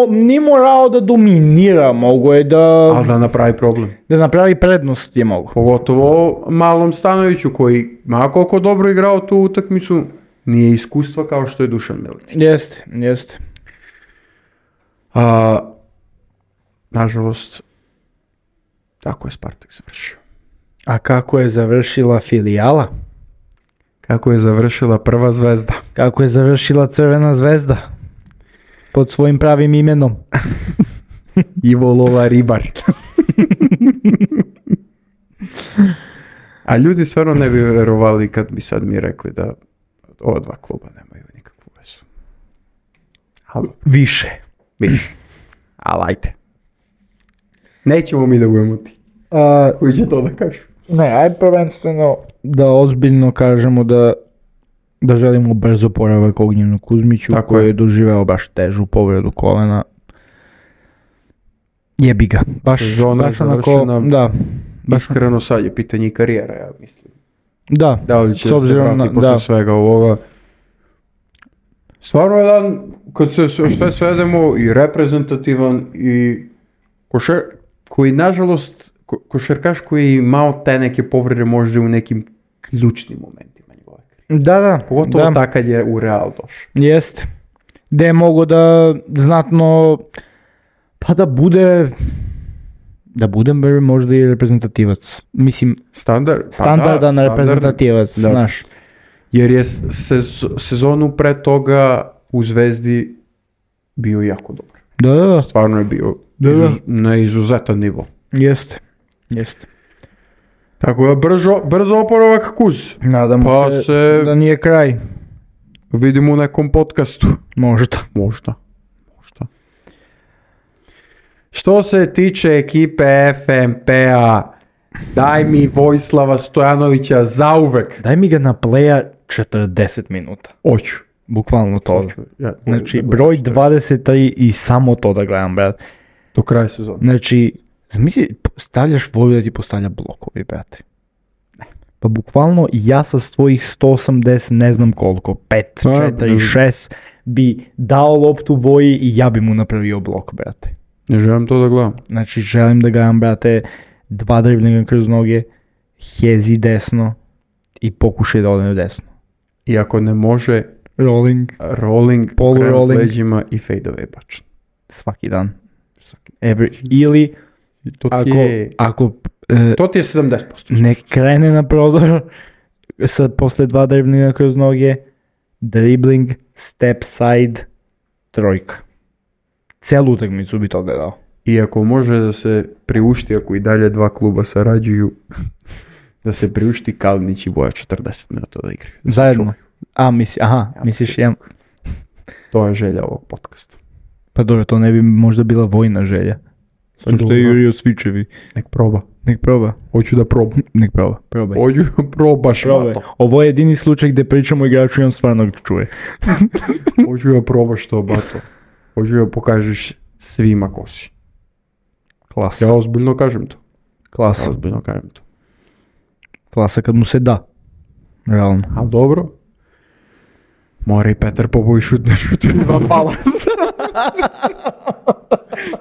ni morao da dominira, mogo je da... Ali da napravi problem. Da napravi prednost je mogo. Pogotovo Malom Stanoviću koji, ma koliko dobro igrao tu utakmicu, nije iskustva kao što je Dušan Miletić. Jeste. Nažalost, tako je Spartak završio. A kako je završila filijala? Kako je završila prva zvezda? Kako je završila Crvena zvezda? Pod svojim pravim imenom. Ivo Lola Ribar. A ljudi stvarno ne bi verovali kad bi sad mi rekli da ova dva kluba nemaju nikakvu vezu. Više. Ali ajde. Nećemo mi da budemo ti. Koji će to da kažu? Ne, aj prvenstveno da ozbiljno kažemo da želimo brzo oporavak Ognjenu Kuzmiću koji je doživeo baš težu povredu kolena. Jebi ga. Sezona je završena. Da. Iskreno sad je pitanje i karijera, ja mislim. Da li će se vrati posle svega ovoga. Stvarno jedan, kad se sve svedemo, i reprezentativan i koji nažalost košarkaš koji je imao te neke povrede možda u nekim ključnim momentima njegove karijere. Da. Pogotovo tako kad je u Real došao. Jeste. Da je mogo da znatno, pa da bude možda i reprezentativac. Mislim, standardan reprezentativac, znaš. Jer je sezonu pre toga u Zvezdi bio jako dobar. Da. Stvarno je bio na izuzetan nivo. Jeste. Tako da brzo oporavak Kuz. Nadamo se da nije kraj. Vidimo u nekom podcastu. Možda. Što se tiče ekipe FNP-a, daj mi Vojislava Stojanovića zauvek. Daj mi ga na playa 40 minuta. Hoću. Bukvalno to. Znači, broj 23 i samo to da gledam, brate. Do kraja sezona. Znači, zamisli, stavljaš Voju da ti postavlja blokovi, brate. Pa bukvalno ja sa svojih 180, ne znam koliko, 5, 4, 6, bi dao loptu Voji i ja bi mu napravio blok, brate. Ne želim to da gledam. Znači, želim da gledam, brate, 2 driblinga kroz noge, hezi desno i pokušaj da odem desno. I ako ne može, rolling, polu-rolling, leđima i fade-away bačan. Svaki dan. Ili, ako to ti je 70%. Ne krene na prodor, sad posle 2 driblinga kroz noge, dribbling, step side, trojka. Celu utakmicu bi to gledao. I ako može da se priušti, ako i dalje dva kluba sarađuju, da se priušti Kalinić i Voja 40 minuta da igraju. Zajedno? Misliš jedan? To je želja ovog podcasta. Pa dobro, to ne bi možda bila vojna želja. Što je Jurio Svičevi. Nek proba. Hoću da probam. Nek proba. Probaj. Hoću da probaš, Mato. Ovo je jedini slučaj gdje pričamo igraču i on stvarno čuje. Hoću da probaš to, Bato. Hoću da pokažeš svima ko si. Klasa. Ja ozbiljno kažem to. Klasa kad mu se da. Realno. Ali dobro. Mora i Petar Poboj šutne dva pala.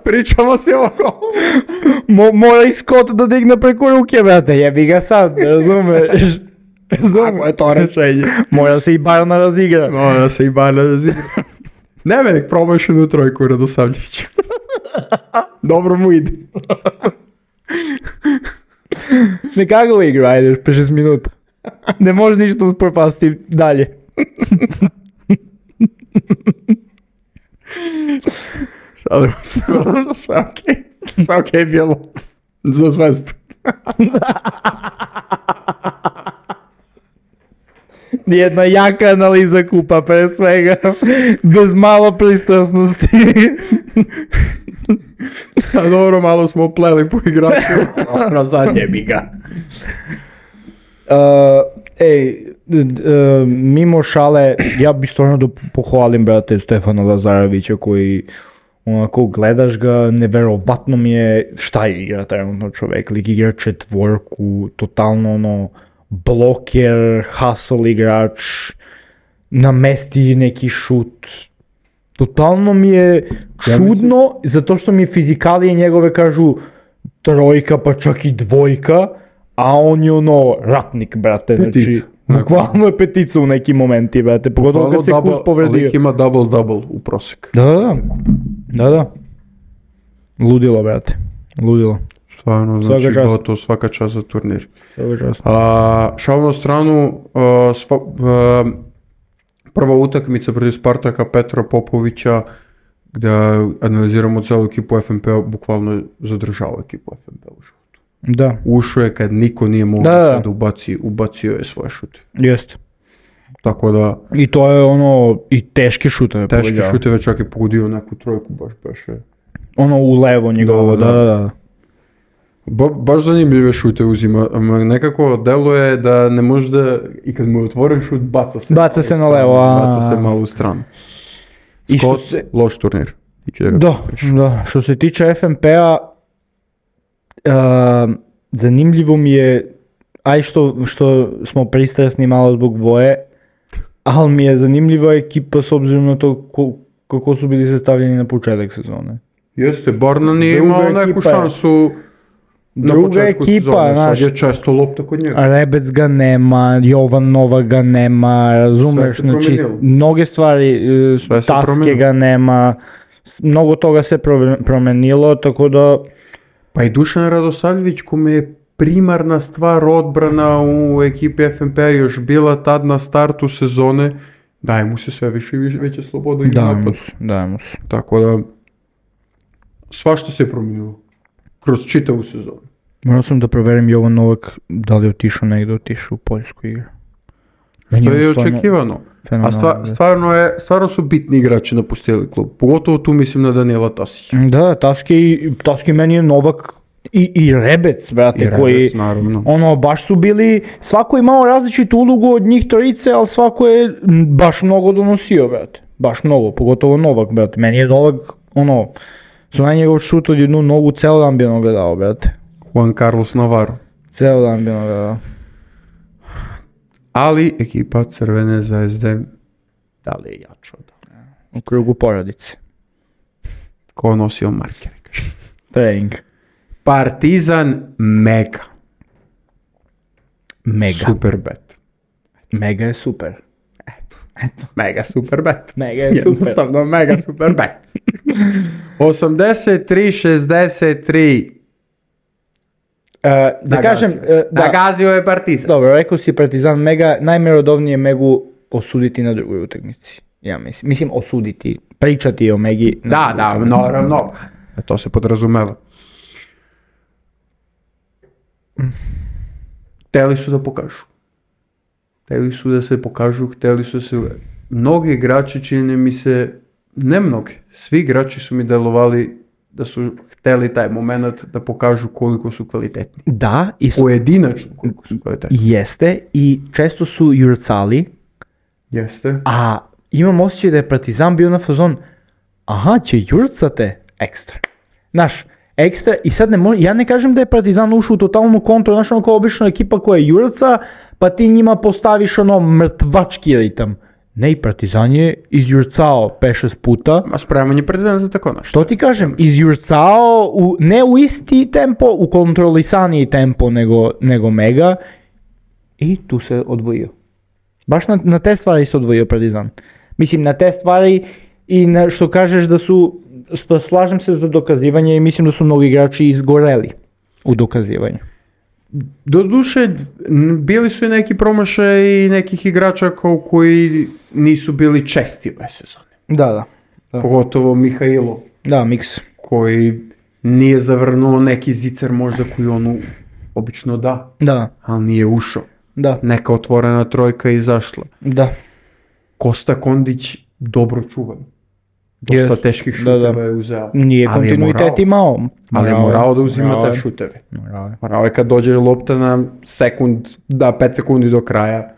Pričamo se ovako. Mora i Scott da digne preko ruke, brate. Jebi ga sad, razumeš? Kako je to rešenje? Mora se i Barna razigra. Ne, nek probaš jednu trojku Radosavljevića. Dobro mu ide. Nekako igra, ajde, 5-6 minuta. Ne može ništa propasti dalje. Šalimo se, sve okej bilo. Za zvezdu. Jedna jaka analiza kupa, pre svega, bez malo pristrasnosti. A dobro, malo smo pleli po igraču, na zadnje bi ga. Mimo šale, ja bi stvarno da pohvalim, brate, Stefana Lazarevića koji onako gledaš ga, neverovatno mi je šta je igra trenutno čovek, lik igra četvorku, totalno bloker, hustle igrač, namesti neki šut, totalno mi je čudno, zato što mi fizikalije njegove kažu trojka pa čak i dvojka, a on je ratnik, brate, znači, bukvalno je petica u nekim momenti, brate, pogotovo kad se Kus povredio. Lik ima double u prosek. Da. Ludilo, brate, ludilo. Stvarno, znači to svaka čast za turnir. Svaka čast. Šalu na stranu, prva utakmica protiv Spartaka Petra Popovića, gdje analiziramo celu ekipu FNP-a, bukvalno je zadržao ekipu FNP-a u životu. Da. Ušao je kad niko nije mogao da ubacio je svoje šute. Jeste. Tako da... I to je i teške šuteve. Teške šuteve, čak je pogodio neku trojku, baš beše. U levo njegovo, da. Baš zanimljive šute uzima, nekako deluje da ne može da, i kad mu je otvoren šut, baca se na levo, baca se malo u stranu. Scott, loš turnir. Da, što se tiče FNP-a, zanimljivo mi je, što smo pristrasni malo zbog Voje, ali mi je zanimljiva ekipa s obzirom na to kako su bili sastavljeni na početak sezone. Jeste, Barna nije imao neku šansu. Druga ekipa, sad je često lopta kod njega. Rebec ga nema, Jovan Novak ga nema, razumeš, znači mnoge stvari, Taske ga nema, mnogo toga se promenilo, tako da... Pa i Dušan Radosavljević, kome je primarna stvar odbrana u ekipi FNP-a još bila tad na startu sezone, daje mu se sve više i veće sloboda i napad. Daje mu se. Tako da, svašta se je promenilo. Kroz čitavu sezonu. Morao sam da proverim Jovan Novak da li je otišao u Poljsku igru. Što je očekivano. A stvarno su bitni igrači napustili klub. Pogotovo tu mislim na Danijela Tasića. Da, Taski meni je Novak i Rebec, brate, koji naravno. Baš su bili, svako je imao različitu ulogu od njih trojice, ali svako je baš mnogo donosio, brate. Baš mnogo, pogotovo Novak, brate. Meni je Novak, su na njegov šut od jednu nogu, ceo dan bi ono gledao, brate. Juan Carlos Navarro. Ceo dan bi ono gledao. Ali ekipa Crvene zvezde, da li je jača? U krugu porodice. Ko nosio markere? Trening. Partizan Mega. Super bet. Mega je super. Eto. Mega super bet. Mega je super. Jednostavno mega super bet. 83-63. Da gazio je Partizan. Dobro, rekao si Partizan Mega, najmerodovnije Megu osuditi na drugoj utakmici. Ja mislim osuditi, pričati o Megi. Da, naravno. To se podrazumeva. Hteli su da pokažu. Hteli su da se pokažu, mnogi igrači čini mi se, ne mnogi, svi igrači su mi delovali da su hteli taj moment da pokažu koliko su kvalitetni. Da. Pojedinačno koliko su kvalitetni. Jeste, i često su jurcali. Jeste. A imam osjećaj da je Partizan bio na fazon, će jurcate ekstra. Znaš, ekstra, i sad ja ne kažem da je Partizan ušao u totalnu kontru, znaš, kao obično ekipa koja je jurca, pa ti njima postaviš mrtvački ritam. Ne, i Partizan je izjurcao 5-6 puta. A spreman je Partizan za tako nešto. Što ti kažem, izjurcao ne u isti tempo, u kontrolisaniji tempo nego Mega, i tu se odvojio. Baš na te stvari se odvojio Partizan. Mislim, na te stvari i na što kažeš da slažem se za dokazivanje i mislim da su mnogi igrači izgoreli u dokazivanju. Doduše, bili su i neki promašaj i nekih igrača koji nisu bili česti ove sezone. Da. Pogotovo Mihajlo. Da, Miks. Koji nije zavrnuo neki zicer možda koji on obično da. Da. Ali nije ušao. Da. Neka otvorena trojka izašla. Da. Kosta Kondić dobro čuvan. Dosta teških šuteva je uzeo. Nije kontinuitet imao. Ali je morao da uzima te šuteve. Morao je kad dođe lopta na 5 sekundi do kraja.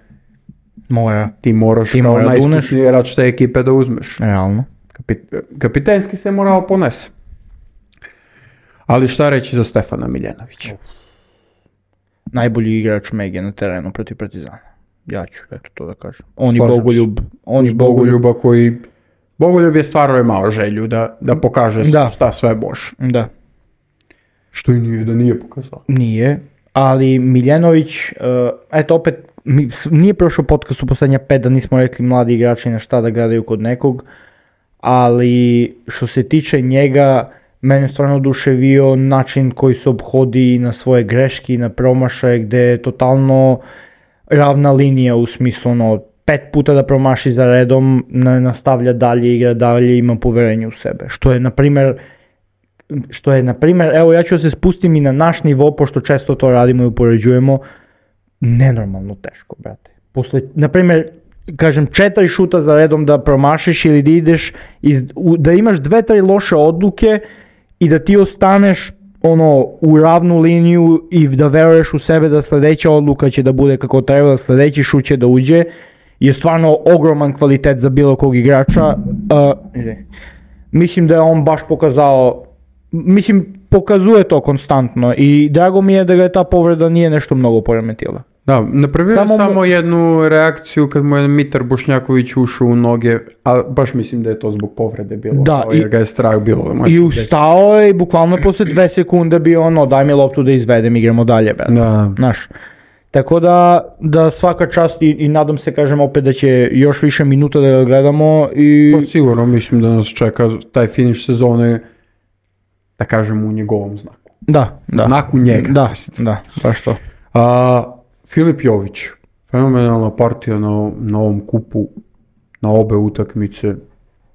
Ti moraš kao najiskusniji igrač te ekipe da uzmeš. Realno. Kapitenski se morao ponese. Ali šta reći za Stefana Miljanovića? Najbolji igrač Mege na terenu protiv Partizana. Ja ću to da kažem. On je Bogoljuba koji... Bogoljub je stvarno imao želju da pokaže šta sve može. Da. Što i nije da nije pokazao. Nije, ali Miljanović, opet, nije prošao podcast u poslednja 5 da nismo rekli mladi igrači na šta da gledaju kod nekog, ali što se tiče njega, mene stvarno oduševio način koji se obhodi na svoje greške, na promašaje, gde je totalno ravna linija u smislu 5 puta da promaši za redom, nastavlja dalje, igra dalje, ima poverenje u sebe. Što je, na primjer, evo ja ću se spustim i na naš nivo, pošto često to radimo i upoređujemo, nenormalno teško, brate. Na primjer, kažem, 4 šuta za redom da promašiš ili da ideš, da imaš 2-3 loše odluke i da ti ostaneš u ravnu liniju i da veruješ u sebe da sledeća odluka će da bude kako treba, da sledeći šut će da uđe, je stvarno ogroman kvalitet za bilo kog igrača. Mislim da je on baš pokazuje to konstantno i drago mi je da ga je ta povreda nije nešto mnogo poremetila. Da, napravio je samo jednu reakciju kad mu je Mitar Bošnjaković ušao u noge, a baš mislim da je to zbog povrede bilo, jer ga je strah bilo. I ustao je i bukvalno posle 2 sekunde bio daj mi loptu da izvedem, igramo dalje. Znaš. Tako da svaka čast i nadam se, kažem opet, da će još više minuta da ga gledamo. Pa sigurno, mislim da nas čeka taj finiš sezone, da kažem, u njegovom znaku. Da. Znaku njega. Da, baš to. Filip Jović, fenomenalna partija na ovom kupu, na obe utakmice.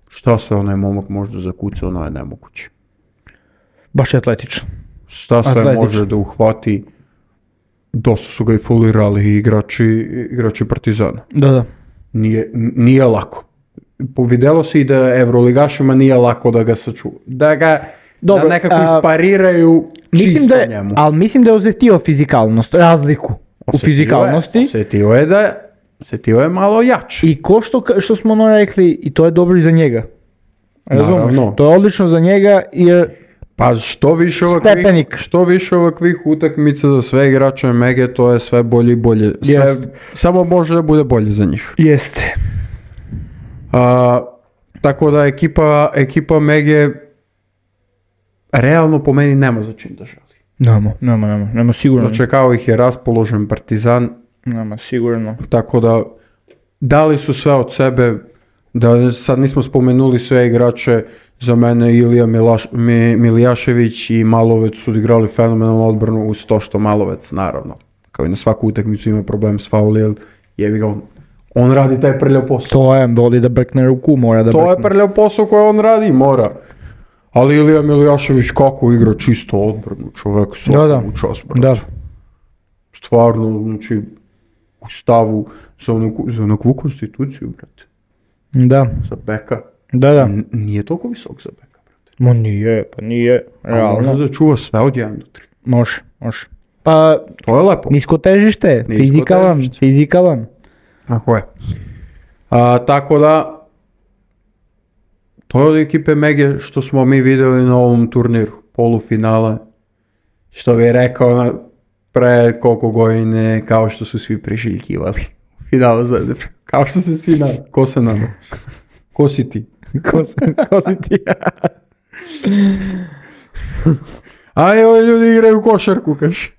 Šta se onaj momak možda zakuca, ono je nemoguće. Baš je atletičan. Šta sve može da uhvati. Dosta su ga i folirali igrači Partizana. Da. Nije lako. Videlo se i da Evroligašima nije lako da ga sačuva. Da nekako ispariraju čisto njemu. Ali mislim da je osetio fizikalnost, razliku u fizikalnosti. Osetio je malo jače. I ko što smo rekli, i to je dobro i za njega. Razumeš? To je odlično za njega jer... Pa što više ovakvih utakmica za sve igrače Mege, to je sve bolje i bolje. Samo može da bude bolje za njih. Jeste. Tako da ekipa Mege realno po meni nema za čim da želi. Nema sigurno. Dočekao ih je raspoložen Partizan. Nema sigurno. Tako da dali su sve od sebe, da sad nismo spomenuli sve igrače. Za mene Ilija Milijašević i Malovec su odigrali fenomenalnu odbranu, uz to što Malovec, naravno, kao i na svaku utakmicu ima problem s fauli, jer jebi ga on radi taj prljav posao. To je, doli da brkne ruku, mora da brkne. To je prljav posao koji on radi, mora. Ali Ilija Milijašević kako igra čisto odbranu, čovek svakom čas, brate. Stvarno, znači, u stavu za onakvu konstituciju, brate. Da. Za beka. Da. Nije toliko visok za beka, brate. Ma nije, realno. Može da čuva sve od 1 do 3. Može. Pa, to je lepo. Nisko težište, fizikalan. Tako je. Tako da, to je od ekipe Mege što smo mi vidjeli na ovom turniru, polufinale, što bi rekao pre koliko godine, kao što su svi priželjkivali. Finalu Zvezde, kao što se svi nadali. Ko se nadao? Ko si ti? Ko si ti? A evo ljudi igraju košarku, kaš.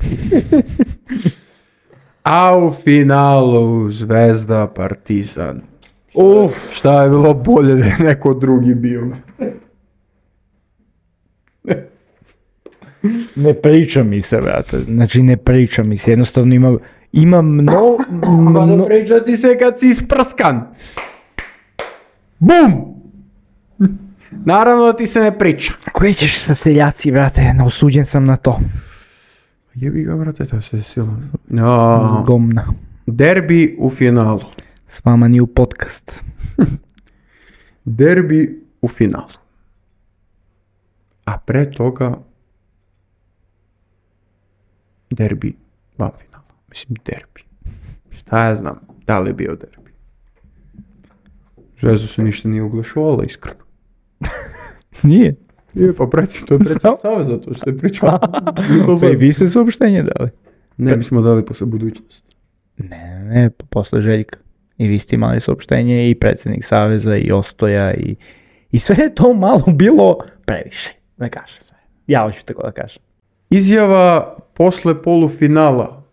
A u finalu Zvezda Partizan. Šta je bilo bolje da je neko drugi bio? Ne priča mi se, brate. Znači ne priča mi se. Jednostavno ima mnogo... Pa ne priča ti se kad si isprskan. Bum! Naravno da ti se ne priča. Koji ćeš sa seljaci, brate? Osuđen sam na to. Jebi ga, brate, to se silo. Gomna. Derbi u finalu. S vama ni u podcast. Derbi u finalu. A pre toga derbi van finala. Mislim, derbi. Šta ja znam, da li je bio derbi? Zvezda se ništa nije oglašovala, iskreno. Nije. Je, pa to je predsjednik Saveza, to što je pričao. Pa i vi ste saopštenje dali. Ne, mi smo dali posle budućnosti. Ne, posle Željka. I vi ste imali saopštenje i predsjednik Saveza i Ostoja i sve je to malo bilo previše, da kažem. Ja hoću tako da kažem. Izjava posle polufinala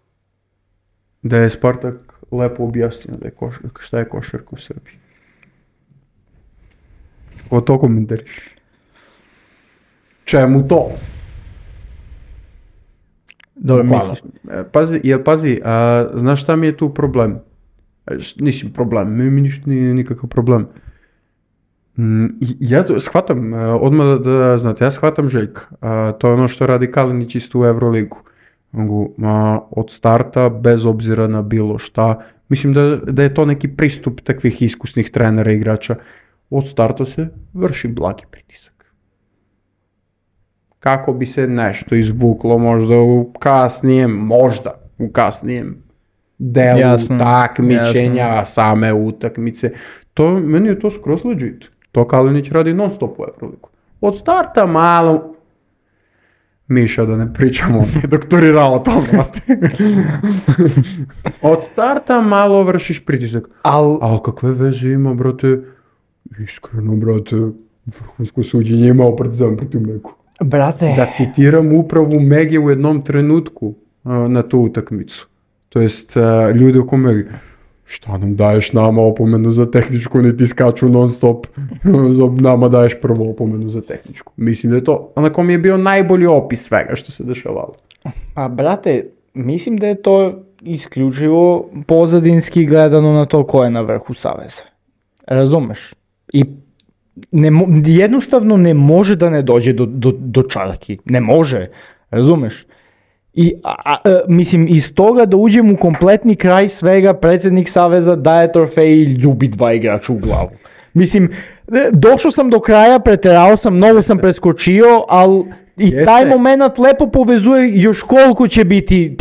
da je Spartak lepo objasnio da je šta je košarka u Srbiji. O to komentariš. Čemu to? Dobro misliš. Pazi, znaš šta mi je tu problem? Nisam problem, mi ništa nije nikakav problem. Ja to shvatam, odmah da znate, ja shvatam Željka. To je ono što radi Kalinić isto u Euroligu. Od starta, bez obzira na bilo šta, mislim da je to neki pristup takvih iskusnih trenera i igrača. Od starta se vrši blagi pritisak. Kako bi se nešto izvuklo možda u kasnijem delu takmičenja, same utakmice. Meni je to skroz legit. To Kalinić radi non stop u Euroligu. Od starta malo... Miša, da ne pričamo, on je doktorirao to, brate. Od starta malo vršiš pritisak. Ali kakve veze ima, brate? Iskreno, brate, vrhunsko suđenje imao Partizan protiv Megu. Brate. Da citiram upravu Mege u jednom trenutku na tu utakmicu. To jest, ljudi oko Mege. Šta nam daješ nama opomenu za tehničku, niti skaču non stop, nama daješ prvo opomenu za tehničku. Mislim da je to, onako mi je bio najbolji opis svega što se dešavalo. Pa brate, mislim da je to isključivo pozadinski gledano na to ko je na vrhu saveza. Razumeš? I jednostavno ne može da ne dođe do čarki. Ne može. Razumeš? I mislim, iz toga da uđem u kompletni kraj svega, predsjednik Saveza daje trofej i ljubi dva igrača u glavu. Mislim, došao sam do kraja, preterao sam, mnogo sam preskočio, ali i taj moment lepo povezuje još koliko će biti,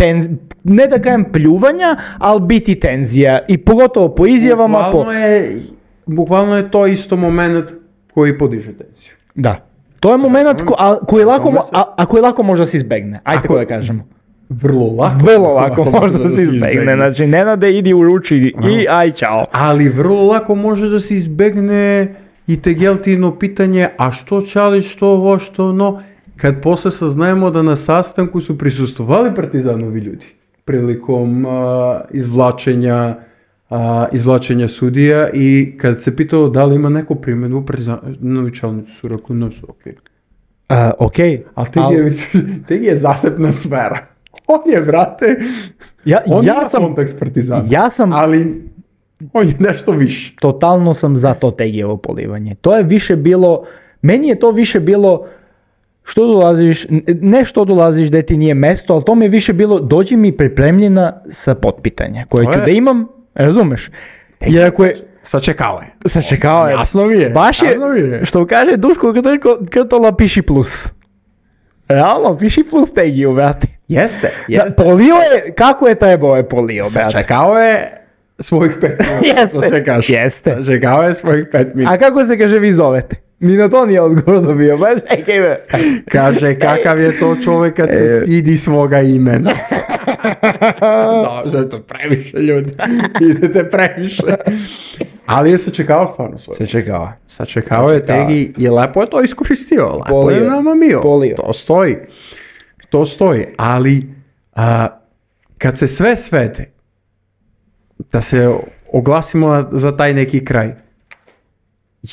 ne da kažem pljuvanja, ali biti tenzija. I pogotovo po izjavama. Bukvalno je to isto moment koji podiže tenziju. Da. To je moment koji lako može da se izbegne. Ajde tako da kažemo. Vrlo lako može da se izbegne. Znači, ne nade idi u ruči i aj čao. Ali vrlo lako može da se izbegne i tegeltino pitanje, a što čali, što ovo, što ono, kad posle saznajemo da na sastanku su prisustvovali Partizanovi ljudi prilikom izvlačenja sudija i kad se pitalo da li ima neko primjedbu Partizanovi čelnici su rekli no su okej. Okej. Ali Tegi je zasebna sfera. On je, brate, on ima kontekst Partizana, ali on je nešto više. Totalno sam za to Tegijevo polivanje. To je više bilo, meni je to više bilo što dolaziš da ti nije mesto, ali to mi je više bilo dođi mi pripremljena sa potpitanja koje ću da imam, razumeš? Jer ako je... Sačekao je. Jasno mi je. Baš je, što kaže Duško Krtola, piši plus. Realno, piši plus Tegiju, brate. Jeste. Polio je, kako je trebao je polio, brate. Sačekao je svojih 5 minuta. Jeste. Sačekao je svojih 5 minuta. A kako se kaže vi zovete? Ni na to nije odgovor dobio, baš čekaj me. Kaže, kakav je to čovjek kad se stidi svoga imena. No, to previše ljudi. Idete previše. Ali je sačekao stvarno svoje. Sačekao je Tegi i lepo je to iskoristio. Lepo je namamio. To stoji. Ali kad se sve svede, da se oglasimo za taj neki kraj,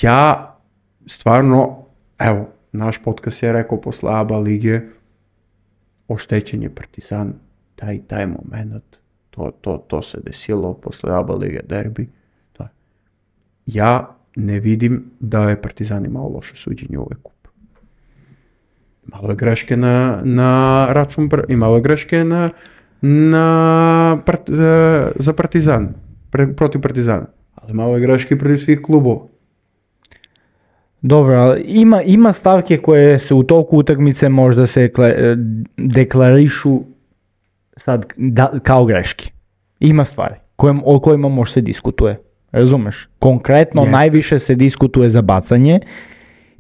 ja stvarno, evo, naš podcast je rekao posle ABA lige, oštećen je Partizan, taj moment, to se desilo posle ABA lige derbi. Ja ne vidim da je Partizan imao loše suđenje u ovaj kup. Malo je greške na račun, imalo je greške za Partizan, protiv Partizana. Ali malo je greške protiv svih klubova. Dobro, ali ima stavke koje se u toku utakmice možda se deklarišu sad kao greške. Ima stvari o kojima može se diskutuje. Razumeš? Konkretno najviše se diskutuje za bacanje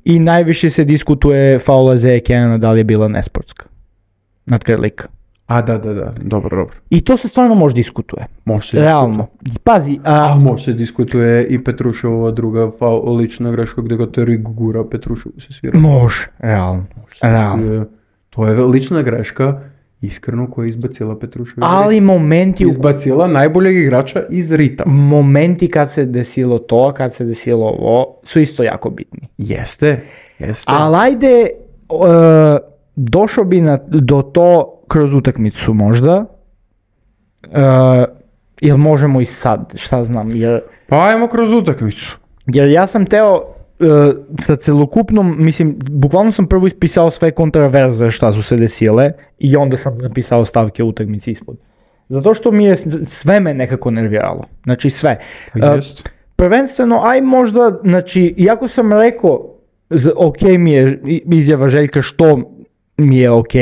i najviše se diskutuje faula za Ekena da li je bila nesportska nad Krlika. A da, dobro. I to se stvarno može diskutuje. Može se realno. Pazi. A može se diskutuje i Petruševova druga lična greška gdje ga Terik gura, Petrušev se svira. Može, realno. To je lična greška, iskreno, koja je izbacila Petruševa. Ali momenti... Izbacila najboljeg igrača iz ritama. Momenti kad se desilo to, kad se desilo ovo, su isto jako bitni. Jeste. Ali ajde, došao bi do to kroz utakmicu možda. Jel možemo i sad, šta znam, Pa ajmo kroz utakmicu. Jer ja sam teo sa celokupnom, mislim, bukvalno sam prvo ispisao sve kontraverze šta su se desile i onda sam napisao stavke utakmici ispod. Zato što mi je sve me nekako nerviralo. Znači sve. Prvenstveno, aj možda, znači, iako sam rekao, ok mi je izjava Željka što mi je ok,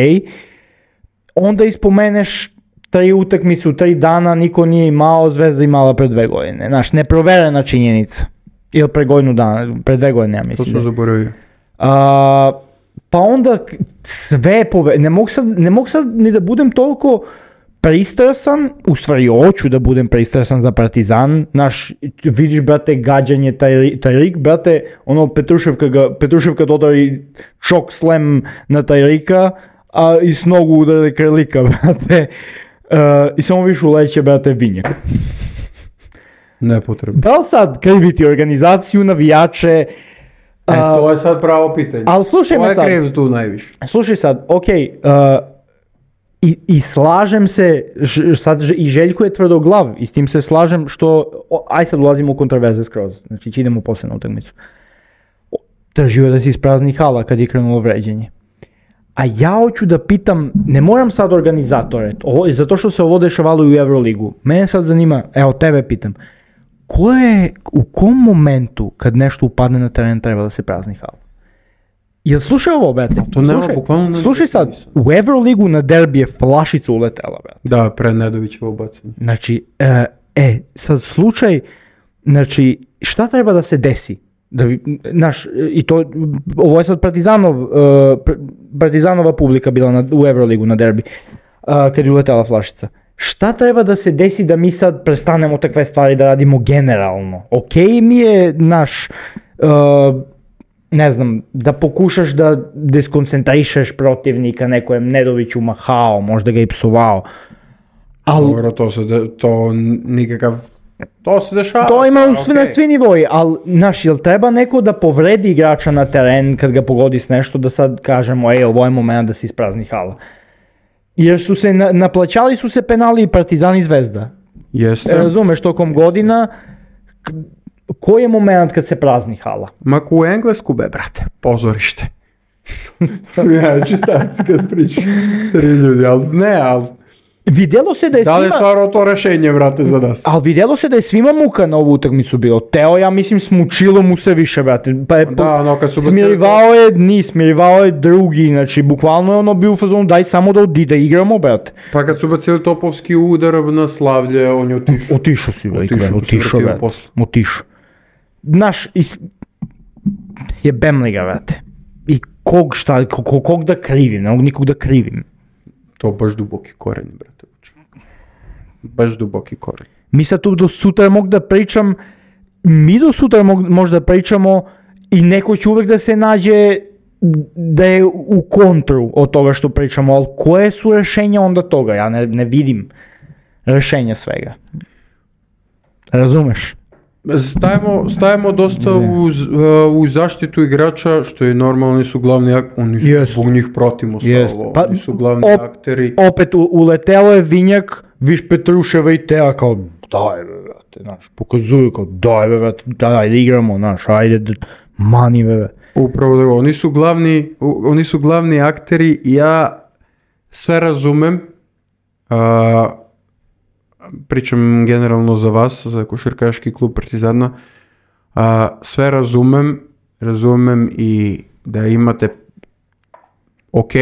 onda ispomeneš 3 utakmice u 3 dana, niko nije imao, Zvezda imala pre 2 godine. Znaš, neproverena činjenica. Ili pre 2 godine, ja mislim. To sam zaboravio. Pa onda sve ne mogu sad ni da budem toliko pristrasan, u stvari hoću da budem pristrasan za Partizan, vidiš, brate, gađanje Tajrik, brate, ono Petruševka dodari čok slam na Tajrika, a i s nogu udari Krlika, brate, i samo više uleće, brate, Vinjak. Nepotrebno. Da li sad kriviti organizaciju, navijače? To je sad pravo pitanje. Ali slušaj me sad. Ko je kriv tu najviše? Slušaj sad, i slažem se, sad i Željko je tvrdoglav i s tim se slažem što, aj sad ulazimo u kontraverze skroz, znači idemo poslije na utakmicu. Tražio je da se isprazni hala kad je krenulo vređenje. A ja hoću da pitam, ne moram sad organizatore, zato što se ovo dešavalo i u Euroligu. Mene sad zanima, evo tebe pitam, u kom momentu kad nešto upadne na teren treba da se prazni hala? Jel slušaj ovo, brate? To nema bukvalno... Slušaj sad, u Euroligu na derbi je flašica uletela, brate. Da, pre Nedovićevo bacanje. Znači, sad slučaj, znači, šta treba da se desi? I to, ovo je sad Partizanova publika bila u Euroligu na derbi, kad je uletela flašica. Šta treba da se desi da mi sad prestanemo takve stvari da radimo generalno? Ok mi je ne znam, da pokušaš da deskoncentrišeš protivnika, neko je Nedoviću mahao, možda ga i psovao. Dobro, to se dešava. To ima na svi nivoji, ali, jel treba neko da povredi igrača na teren kad ga pogodi s nešto, da sad kažemo, ovo je moment da se isprazni hala. Jer su se, naplaćali su se penali i Partizan i Zvezda. Jeste. Razumeš, tokom godina, koji je moment kad se prazni hala? Mak u Englesku, brate, pozorište. Smijajući starci kad pričaš stari ljudi, ali vidjelo se da je svima... Da li je stvarno to rešenje, brate, za nas? Ali vidjelo se da je svima muka na ovu utakmicu bilo. Teo, ja mislim, smučilo mu se više, brate. Smirivao je dni, smirivao je drugi, znači, bukvalno je ono bio u fazonu, daj samo da igramo, brate. Pa kad su bacili topovski udar na Slavlje, on je otišao. Otišao si, brate, otišao. Znaš, jebem li ga, brate. I kog da krivim, ne mogu nikog da krivim. To baš duboki koren, brate. Baš duboki koren. Mi sad tu do sutra mogu da pričam, možda pričamo i neko će uvek da se nađe da je u kontru od toga što pričamo, ali koje su rešenja onda toga? Ja ne vidim rešenja svega. Razumeš? Stajemo dosta u zaštitu igrača, što je normalno, oni su glavni, zbog njih pratimo sve ovo, oni su glavni akteri. Opet uletelo je Vinjak, viš Petruševa i Tea kao, daj brate, pokazuju kao, daj brate, daj igramo, ajde, mani brate. Upravo da, oni su glavni akteri i ja sve razumem, pričam generalno za vas, za košarkaški klub Partizana, sve razumem i da imate, ok,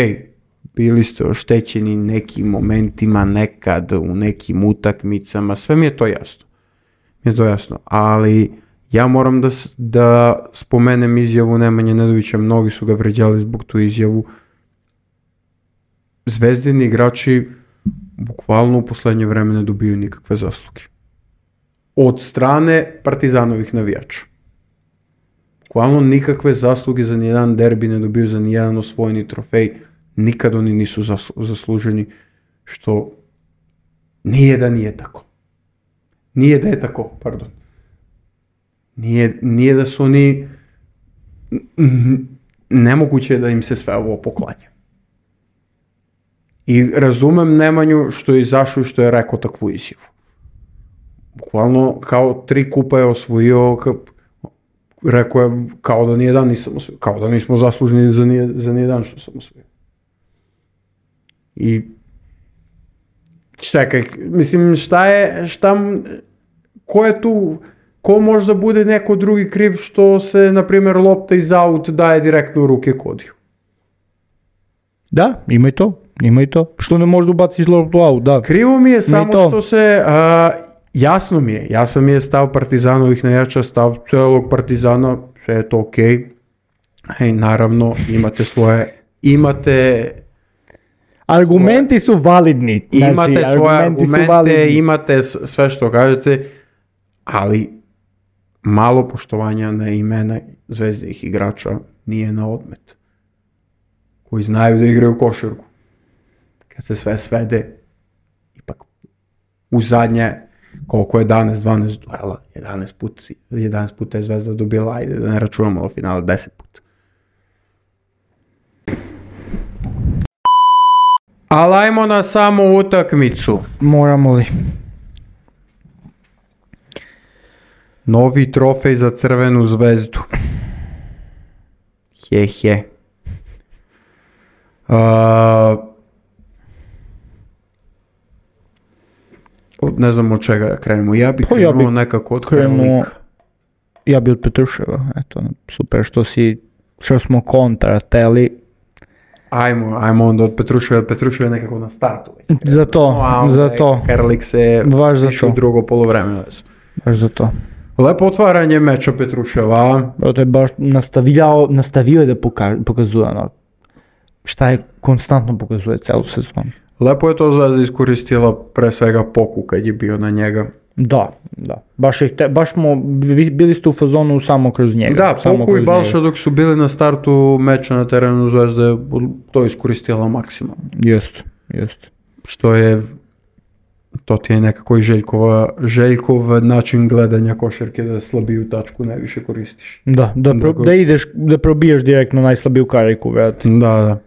bili ste oštećeni nekim momentima, nekad u nekim utakmicama, sve mi je to jasno, ali ja moram da spomenem izjavu Nemanje Nedovića, mnogi su ga vređali zbog tu izjavu. Zvezdini igrači bukvalno u poslednje vreme ne dobiju nikakve zasluge. Od strane Partizanovih navijača. Bukvalno nikakve zasluge za nijedan derbi ne dobiju, za nijedan osvojeni trofej. Nikad oni nisu zasluženi, što nije da nije tako. Nije da je tako, pardon. Nije da su oni, nemoguće je da im se sve ovo poklanja. I razumem Nemanju što je izašao i što je rekao takvu izjavu. Bukvalno kao 3 kupa je osvojio, rekao je kao da nijedan nisam osvojio, kao da nismo zasluženi za nijedan što sam osvojio. I čekaj, mislim ko je tu, ko možda bude neko drugi kriv što se, na primjer, lopta iz aut daje direktno u ruke Kodiju? Da, ima i to. Što ne možda ubaciš loptu u aut, da. Krivo mi je samo što se, jasno mi je stav Partizanovih navijača, stav celog Partizana, sve je to okej. I naravno, imate argumenti su validni. Imate svoje argumente, imate sve što kažete, ali malo poštovanja na imena zvezdinih igrača nije na odmet. Koji znaju da igraju košarku. Kad se sve svede, ipak u zadnje, koliko je 12 duela, 11 puta je Zvezda dobila, ajde da ne računamo do finala 10 puta. Ali ajmo na samu utakmicu. Moramo li? Novi trofej za Crvenu Zvezdu. He. Ne znam od čega krenemo. Ja bih krenuo nekako od Karolika. Ja bih od Petruševa. Eto, super što smo kontrateli. Ajmo onda od Petruševa nekako na startu. Za to. Karlik se piše u drugo polovreme. Baš za to. Lepo otvaranje meča Petruševa. To je baš nastavio je da pokazuje ono šta je konstantno pokazuje celu sezonu. Lepo je to Zvezda iskoristila, pre svega Poku kad je bio na njega. Da. Baš smo bili ste u fazonu samo kroz njega. Da, Poku i Balša dok su bili na startu meča na terenu Zvezda je to iskoristila maksimalno. Jest. Što je, to ti je nekako i Željkov način gledanja košarke, da slabiju tačku najviše koristiš. Da ideš, da probijaš direktno najslabiju kariku, vrati. Da.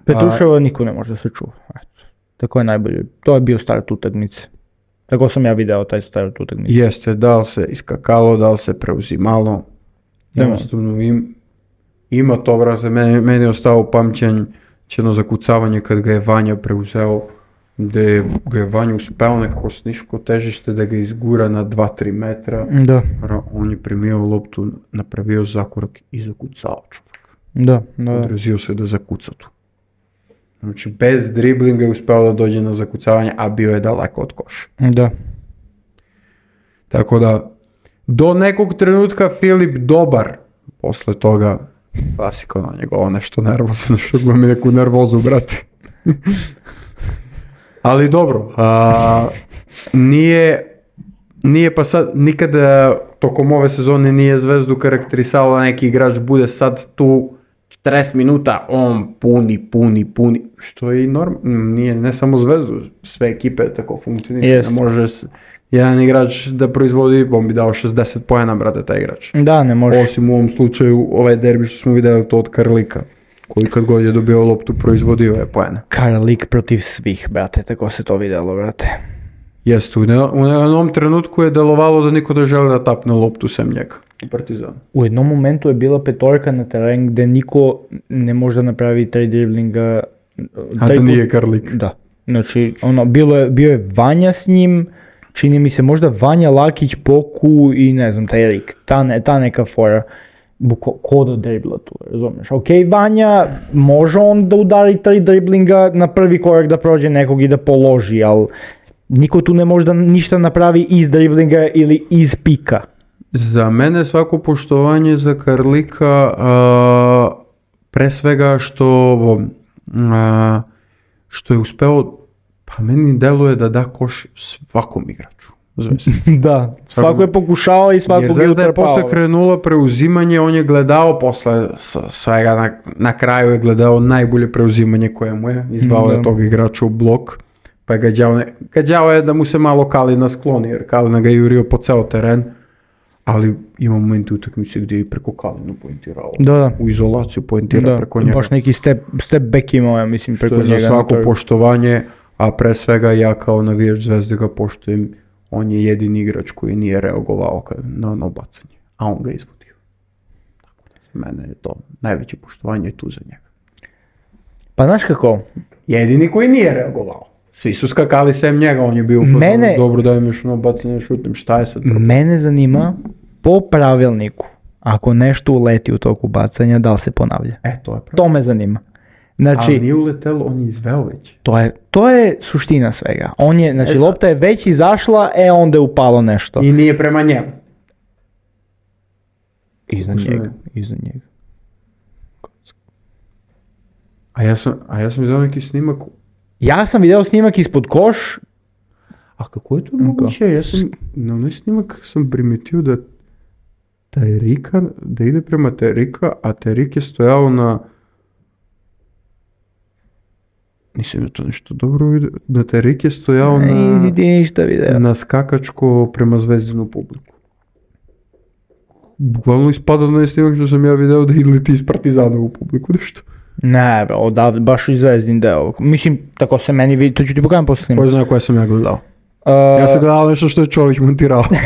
Petruševa niko ne može da se čuva. Tako je najbolje. To je bio start utakmice. Tako sam ja video taj start utakmice. Jeste, da li se iskakalo, da li se preuzimalo. Jednostavno ima to, brate, meni je ostao upamćen jedno zakucavanje kad ga je Vanja preuzeo, gde ga je Vanja uspeo nekako s niško težište da ga izgura na 2-3 metra. Da. On je primio loptu, napravio zakorak i zakucao čovjek. Da. Odrazio se da zakuca tu. Znači, bez driblinga je uspeo da dođe na zakucavanje, a bio je daleko od koša. Da. Tako da, do nekog trenutka Filip dobar, posle toga klasika na njegovo nešto nervozno, što ga mi neku nervozu, brate. Ali dobro, nije pa sad, nikada tokom ove sezone nije Zvezdu karakterisalo da neki igrač bude sad tu 40 minuta, on puni, što je i nije ne samo Zvezdu, sve ekipe tako funkcionišu, ne može jedan igrač da proizvodi, on bi dao 60 poena, brate, taj igrač. Da, ne može. Osim u ovom slučaju, ovaj derbi što smo vidjeli to od Karlika, koji kad god je dobio loptu proizvodio je poena. Karlik protiv svih, brate, tako se to vidjelo, brate. Jeste, u jednom trenutku je delovalo da niko ne želi da tapne loptu sem njega. Partizan. U jednom momentu je bila petorka na teren gde niko ne može da napravi 3 driblinga. A da nije Karlik. Da. Znači, bio je Vanja s njim, čini mi se možda Vanja, Lakić, Poku i ne znam, taj Erik, ta neka fora. Ko da dribla tu, razumiješ? Ok, Vanja, može on da udari 3 driblinga na prvi korak da prođe nekog i da položi, ali niko tu ne može da ništa napravi iz driblinga ili iz pika. Za mene svako poštovanje za Karlika, pre svega što je uspeo, pa meni deluje da koš svakom igraču. Da, svako je pokušao i svako je utrpao. Jer da je posle krenula preuzimanje, on je gledao posle svega, na kraju je gledao najbolje preuzimanje koje mu je, izvao je tog igrača u blok, pa je gađao je da mu se malo Kalina skloni, jer Kalina ga je jurio po ceo teren, ali ima momenti utakmice gdje je preko Kalinu poentirao, u izolaciju poentira preko njega. Baš neki step back imao, ja mislim, preko njega. Za svako poštovanje, a pre svega ja kao navijač Zvezde ga poštujem. On je jedini igrač koji nije reagovao na ono bacanje, a on ga izvodio. Tako da, mene je to najveće poštovanje tu za njega. Pa znaš kako? Jedini koji nije reagovao. Svi su skakali sem njega, on je bio u fazonu, dobro dajem još ono bacanje, šutim, šta je sad problem? Mene zanima, po pravilniku, ako nešto uleti u toku bacanja, da li se ponavlja? To me zanima. Znači, ali nije uletelo, on je izveo već. To je suština svega. Znači, lopta je već izašla, onda je upalo nešto. I nije prema njemu. Iznad njega. A ja sam vidio neki snimak. Ja sam vidio snimak ispod koš. A kako je to moguće? Na onaj snimak sam primetio da Terika, da ide prema Terika, a Terik je stojao na... Nisam je to nešto dobro vidio, da Terik je stojao na skakačko prema Zvezdinu publiku. Bukvalno ispada na snimak što sam ja video da leti iz Partizanovu publiku, nešto. Ne, baš iz Zvezdin deo. Mislim, tako se meni vidi, to ću ti pokazati posle snimaka. Ko zna koje sam ja gledao? Ja sam gledao nešto što je Čović montirao. Ne.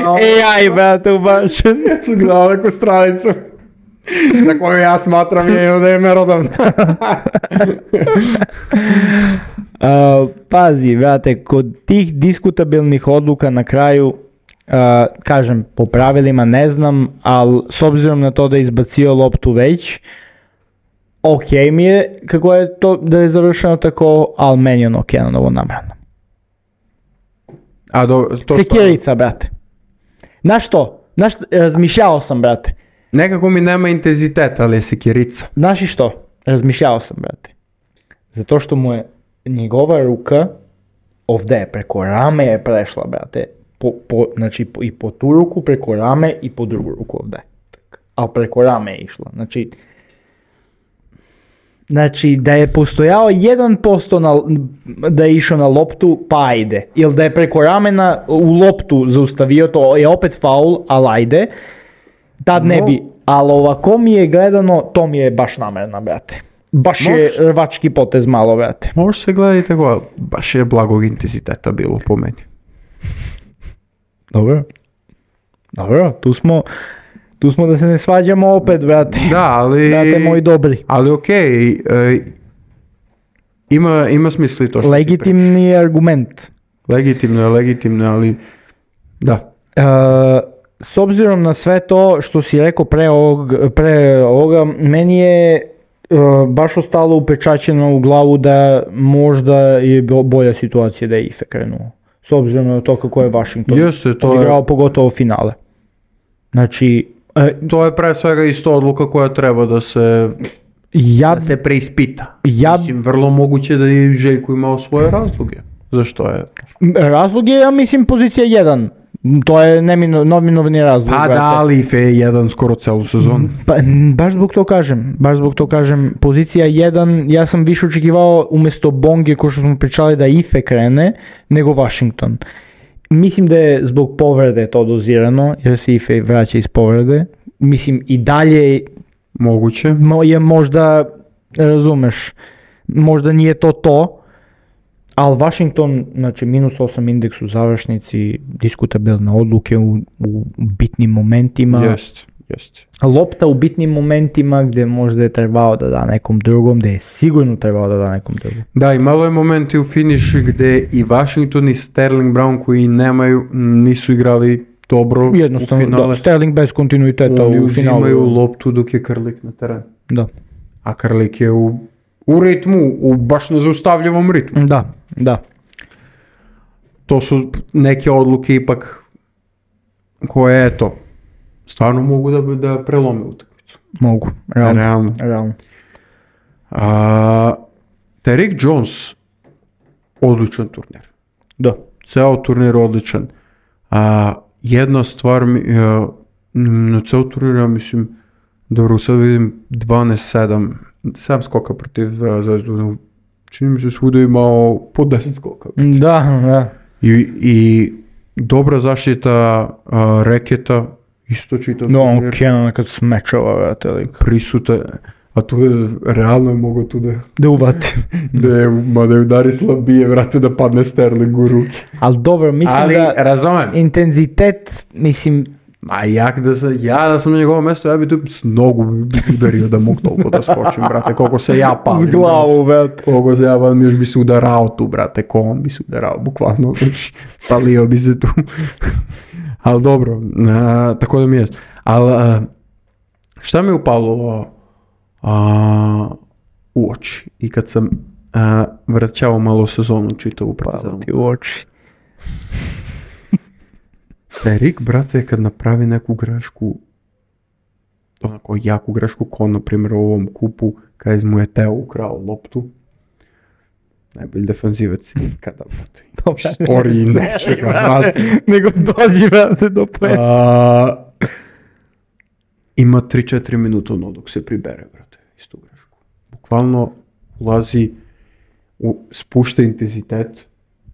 AI, brate, ubačen. Ja sam gledao neku stranicu za koju ja smatram da je merodavna. Pazi, brate, kod tih diskutabilnih odluka na kraju, kažem, po pravilima ne znam, ali s obzirom na to da je izbacio loptu već, ok mi je kako je to da je završeno tako, ali meni je ono Kenanovo namerno. Sekirica, brate. Znaš što? Razmišljao sam, brate. Nekako mi nema intenziteta, ali je sekirica. Znaš i što? Razmišljao sam, brate. Zato što mu je njegova ruka ovdje preko rame je prešla, brate. Znači i po tu ruku, preko rame i po drugu ruku ovdje. Ali preko rame je išla. Znači da je postojao 1% da je išao na loptu, pa ajde. Ili da je preko ramena u loptu zaustavio, to je opet faul, ali ajde. Tad ne bi. Ali ovako mi je gledano, to mi je baš namerno, brate. Baš je rvački potez malo, brate. Može se gledati tako, baš je blagog intenziteta bilo po meni. Dobro, tu smo da se ne svađamo opet, brate. Da, ali... Brate moji dobri. Ali okej, ima smisli to što legitimni argument. Legitimno, ali da. S obzirom na sve to što si rekao pre ovoga, meni je baš ostalo upečaćeno u glavu da možda je bolja situacija da je Ife krenuo. S obzirom na to kako je Washington odigrao pogotovo finale. Znači... to je pre svega isto odluka koja treba da se preispita. Mislim, vrlo moguće da je Željko imao svoje razloge. Zašto je? Razlog je, ja mislim, pozicija 1. To je neminovni razlog. Pa da, ali Ife je 1 skoro celu sezonu. Baš zbog to kažem, pozicija 1, ja sam više očekivao umjesto Bonge, ko što smo pričali, da Ife krene, nego Washington. Mislim da je zbog povrede to dozirano, jer se Ife vraća iz povrede. Mislim, i dalje moguće je možda, razumeš, možda nije to, ali Washington, znači -8 indeks u završnici, diskutabilne odluke u bitnim momentima. Jeste. Lopta u bitnim momentima gdje možda je trebao da da nekom drugom, gdje je sigurno trebao da da nekom drugom. Da, i malo je momenti u finišu gdje i Washington i Sterling Brown koji nisu igrali dobro u Jednostavno, finale. da, Sterling bez kontinuiteta Oni u finalu. uzimaju loptu dok je Krlik na terenu. Da. A Krlik je u ritmu, u baš nezaustavljivom ritmu. Da. To su neke odluke ipak koje, eto, stvarno mogu da prelome utakmicu. Mogu, realno. Derrick Jones, odličan turnir. Da. Ceo turnir odličan. Jedna stvar, na ceo turnir, ja mislim, dobro, sad vidim 12-7, 7 skoka protiv Zvezdu. Čini mi se svuda imao po 10 skoka. Da. I dobra zaštita reketa, isto čitav on Kenan kad smečava, vrate, prisuta, a tu je realno mogo tu da uvati. da je udari slabije, vrate, da padne Sterling u ruke. Ali dobro, mislim da razumem. Intenzitet, mislim... Da sam na njegovom mjestu, ja bi tu s nogu udario da mogu toliko da skočim, brate, koliko se ja palim. S glavu, brate. Koliko se ja palim, još bi se udarao tu, brate, ko on bi se udarao, bukvalno, palio bi se tu. Ali dobro, tako da mi je. Ali šta mi je upalo u oči i kad sam vraćao malo sezonu čitavu Partizanu. Ti u oči. Derrick, brate, kad napravi neku grešku, onako jaku grešku, kao na primjer u ovom kupu, kada mu je Teo ukrao loptu, najbolji defanzivac nikada bude. Storiji nečega, brate. Nego dođi, brate, do pojeta. Ima 3-4 minuta dok se pribere, brate, istu grešku. Bukvalno ulazi, spušta intenzitet,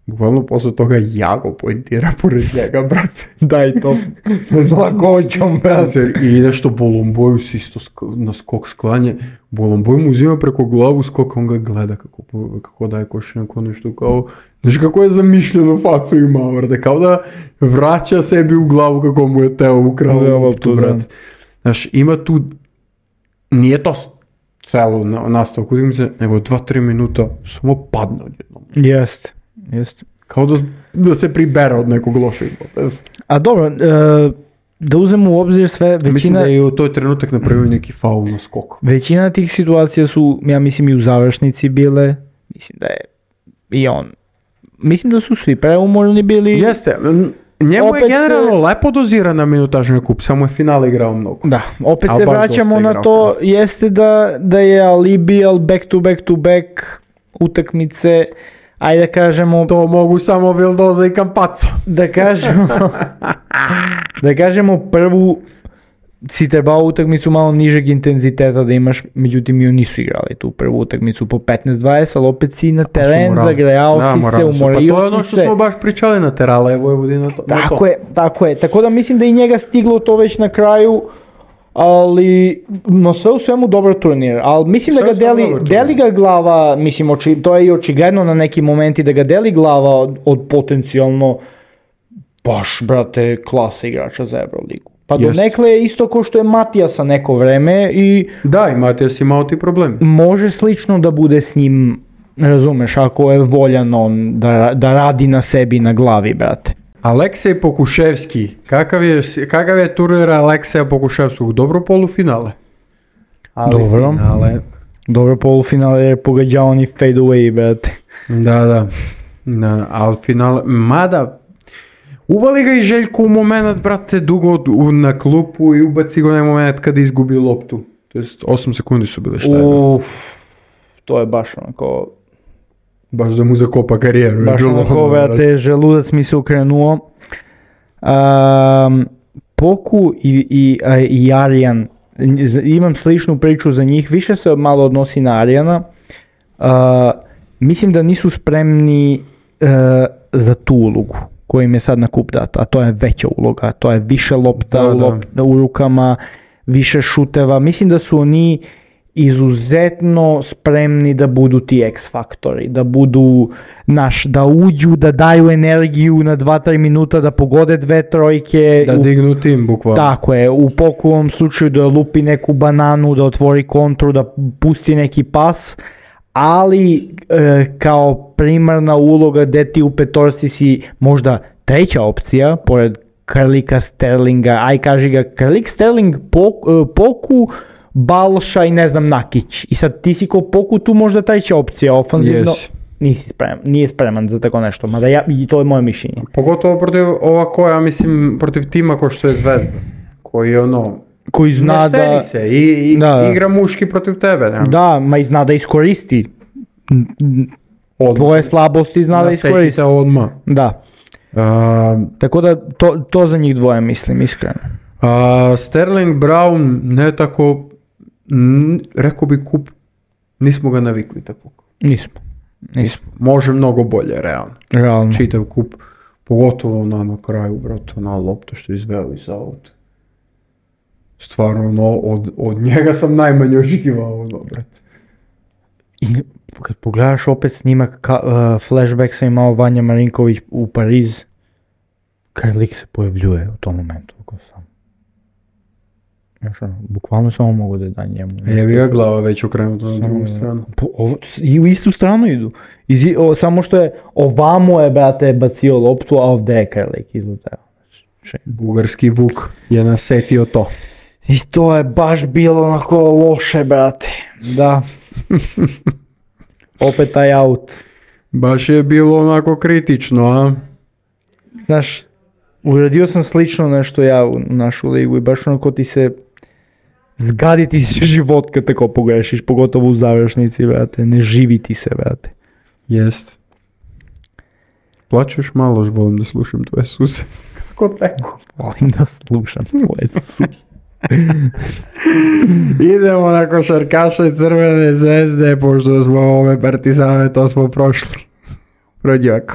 bukvalno posle toga Jago pointira pored njega, brate. Daj to. S lakoćom, brate. I nešto Bolomboju si isto na skok sklanje. Bolomboj mu uzima preko glavu skok, on ga gleda kako daje košenko, nešto kao... Znaš kako je zamišljeno facu imao, brate. Kao da vraća sebi u glavu kako mu je Teo ukrao loptu, brate. Znaš, ima tu... Nije to celo nastavku, nego 2-3 minuta samo padne odjednom. Jest. Kao da se pribere od nekog lošeg poteza. A dobro, da uzmemo u obzir sve, većina... Mislim da je u toj trenutak napravio neki faul na skoku. Većina tih situacija su, ja mislim, i u završnici bile. Mislim da je i on... Mislim da su svi preumorni bili. Jeste, njemu je generalno lepo dozirana minutažna kup, samo je finale igrao mnogo. Da, opet se vraćamo na to, jeste da je alibi, ali back to back utakmice... Ajde da kažemo... To mogu samo Vildoza i Campazzo. Da kažemo prvu si trebao utakmicu malo nižeg intenziteta da imaš, međutim i oni nisu igrali tu prvu utakmicu po 15-20, ali opet si na teren, zagrejao si se, umorio si se. Pa to je ono što smo baš pričali na Terale, Vojvodina. Tako je. Tako da mislim da i njega stiglo to već na kraju, ali no sve u svemu dobar turnir, ali mislim da ga deli ga glava, mislim to je i očigledno na neki momenti da ga deli glava od potencijalno baš, brate, klasa igrača za Euroligu. Pa donekle je isto ko što je Matijasa neko vreme i... Da, i Matijas imao ti problem. Može slično da bude s njim, razumeš, ako je voljan on da radi na sebi, na glavi, brate. Aleksej Pokuševski, kakav je turnir Alekseja Pokuševskog? Dobro polufinale. Dobro polufinale je pogađao oni fade away, brate. Da, ali finale, mada uvali ga i Željko u moment, brate, dugo na klupu i ubaci ga u moment kada izgubi loptu. To jest 8 sekundi su bile šta je. To je baš onako... Baš da mu zakopa karijeru. Baš onako, brate, želudac mi se ukrenuo. Poku i Arjan, imam sličnu priču za njih, više se malo odnosi na Arjana. Mislim da nisu spremni za tu ulogu koja im je sad na kup data, a to je veća uloga, to je više lopta u rukama, više šuteva. Mislim da su oni izuzetno spremni da budu ti X-faktori, da budu, da uđu, da daju energiju na 2-3 minuta, da pogode 2 trojke. Da dignu tim, bukvalno. Tako je, u pokovom slučaju da lupi neku bananu, da otvori kontru, da pusti neki pas, ali kao primarna uloga gde ti u petorci si možda treća opcija, pored Krlika, Sterlinga, aj kaži ga Krlik, Sterling, Poku, Balša i ne znam Nakić. I sad ti si ko Poku tu možda treća opcija ofanzivno. Yes. Nije spreman za tako nešto, mada i to je moje mišljenje. Pogotovo protiv ovako, ja mislim, protiv tima ko što je Zvezda, koji koji zna ne štedi se i igra muški protiv tebe. Ne? Da, ma i zna da iskoristi tvoje slabosti, zna da iskoristi. Se odmah. Da. Tako da to za njih dvoje mislim, iskreno. Sterling, Brown, ne tako, rekao bi kup, nismo ga navikli tako. Nismo. Može mnogo bolje, realno. Čitav kup, pogotovo na kraju, brate, na loptu što je izveo iz auta. Stvarno, od njega sam najmanje očekivao, brate. I kad pogledaš opet snimak, flashback sam imao Vanja Marinković u Pariz, Krlik se pojavljuje u tom momentu. Bukvalno samo mogu da da njemu. Je bi ga glava već okrenuta na drugu stranu. I u istu stranu idu. Samo što je ovamo je, brate, bacio loptu, a ovdje je Krlik izletao. Bugarski Vuk je nasetio to. I to je baš bilo onako loše, brate. Da. Opet taj out. Baš je bilo onako kritično, a? Znaš, uradio sam slično nešto ja u našu ligu i baš onako ti se zgadi ti se život kad tako pogrešiš, pogotovo u završnici, brate. Ne živi ti se, brate. Jest. Plačeš malo, volim da slušam tvoje suse. Kako tako? Volim da slušam tvoje suse. Idemo na košarkaše Crvene Zvezde, pošto smo ove Partizane, to smo prošli. Rođako.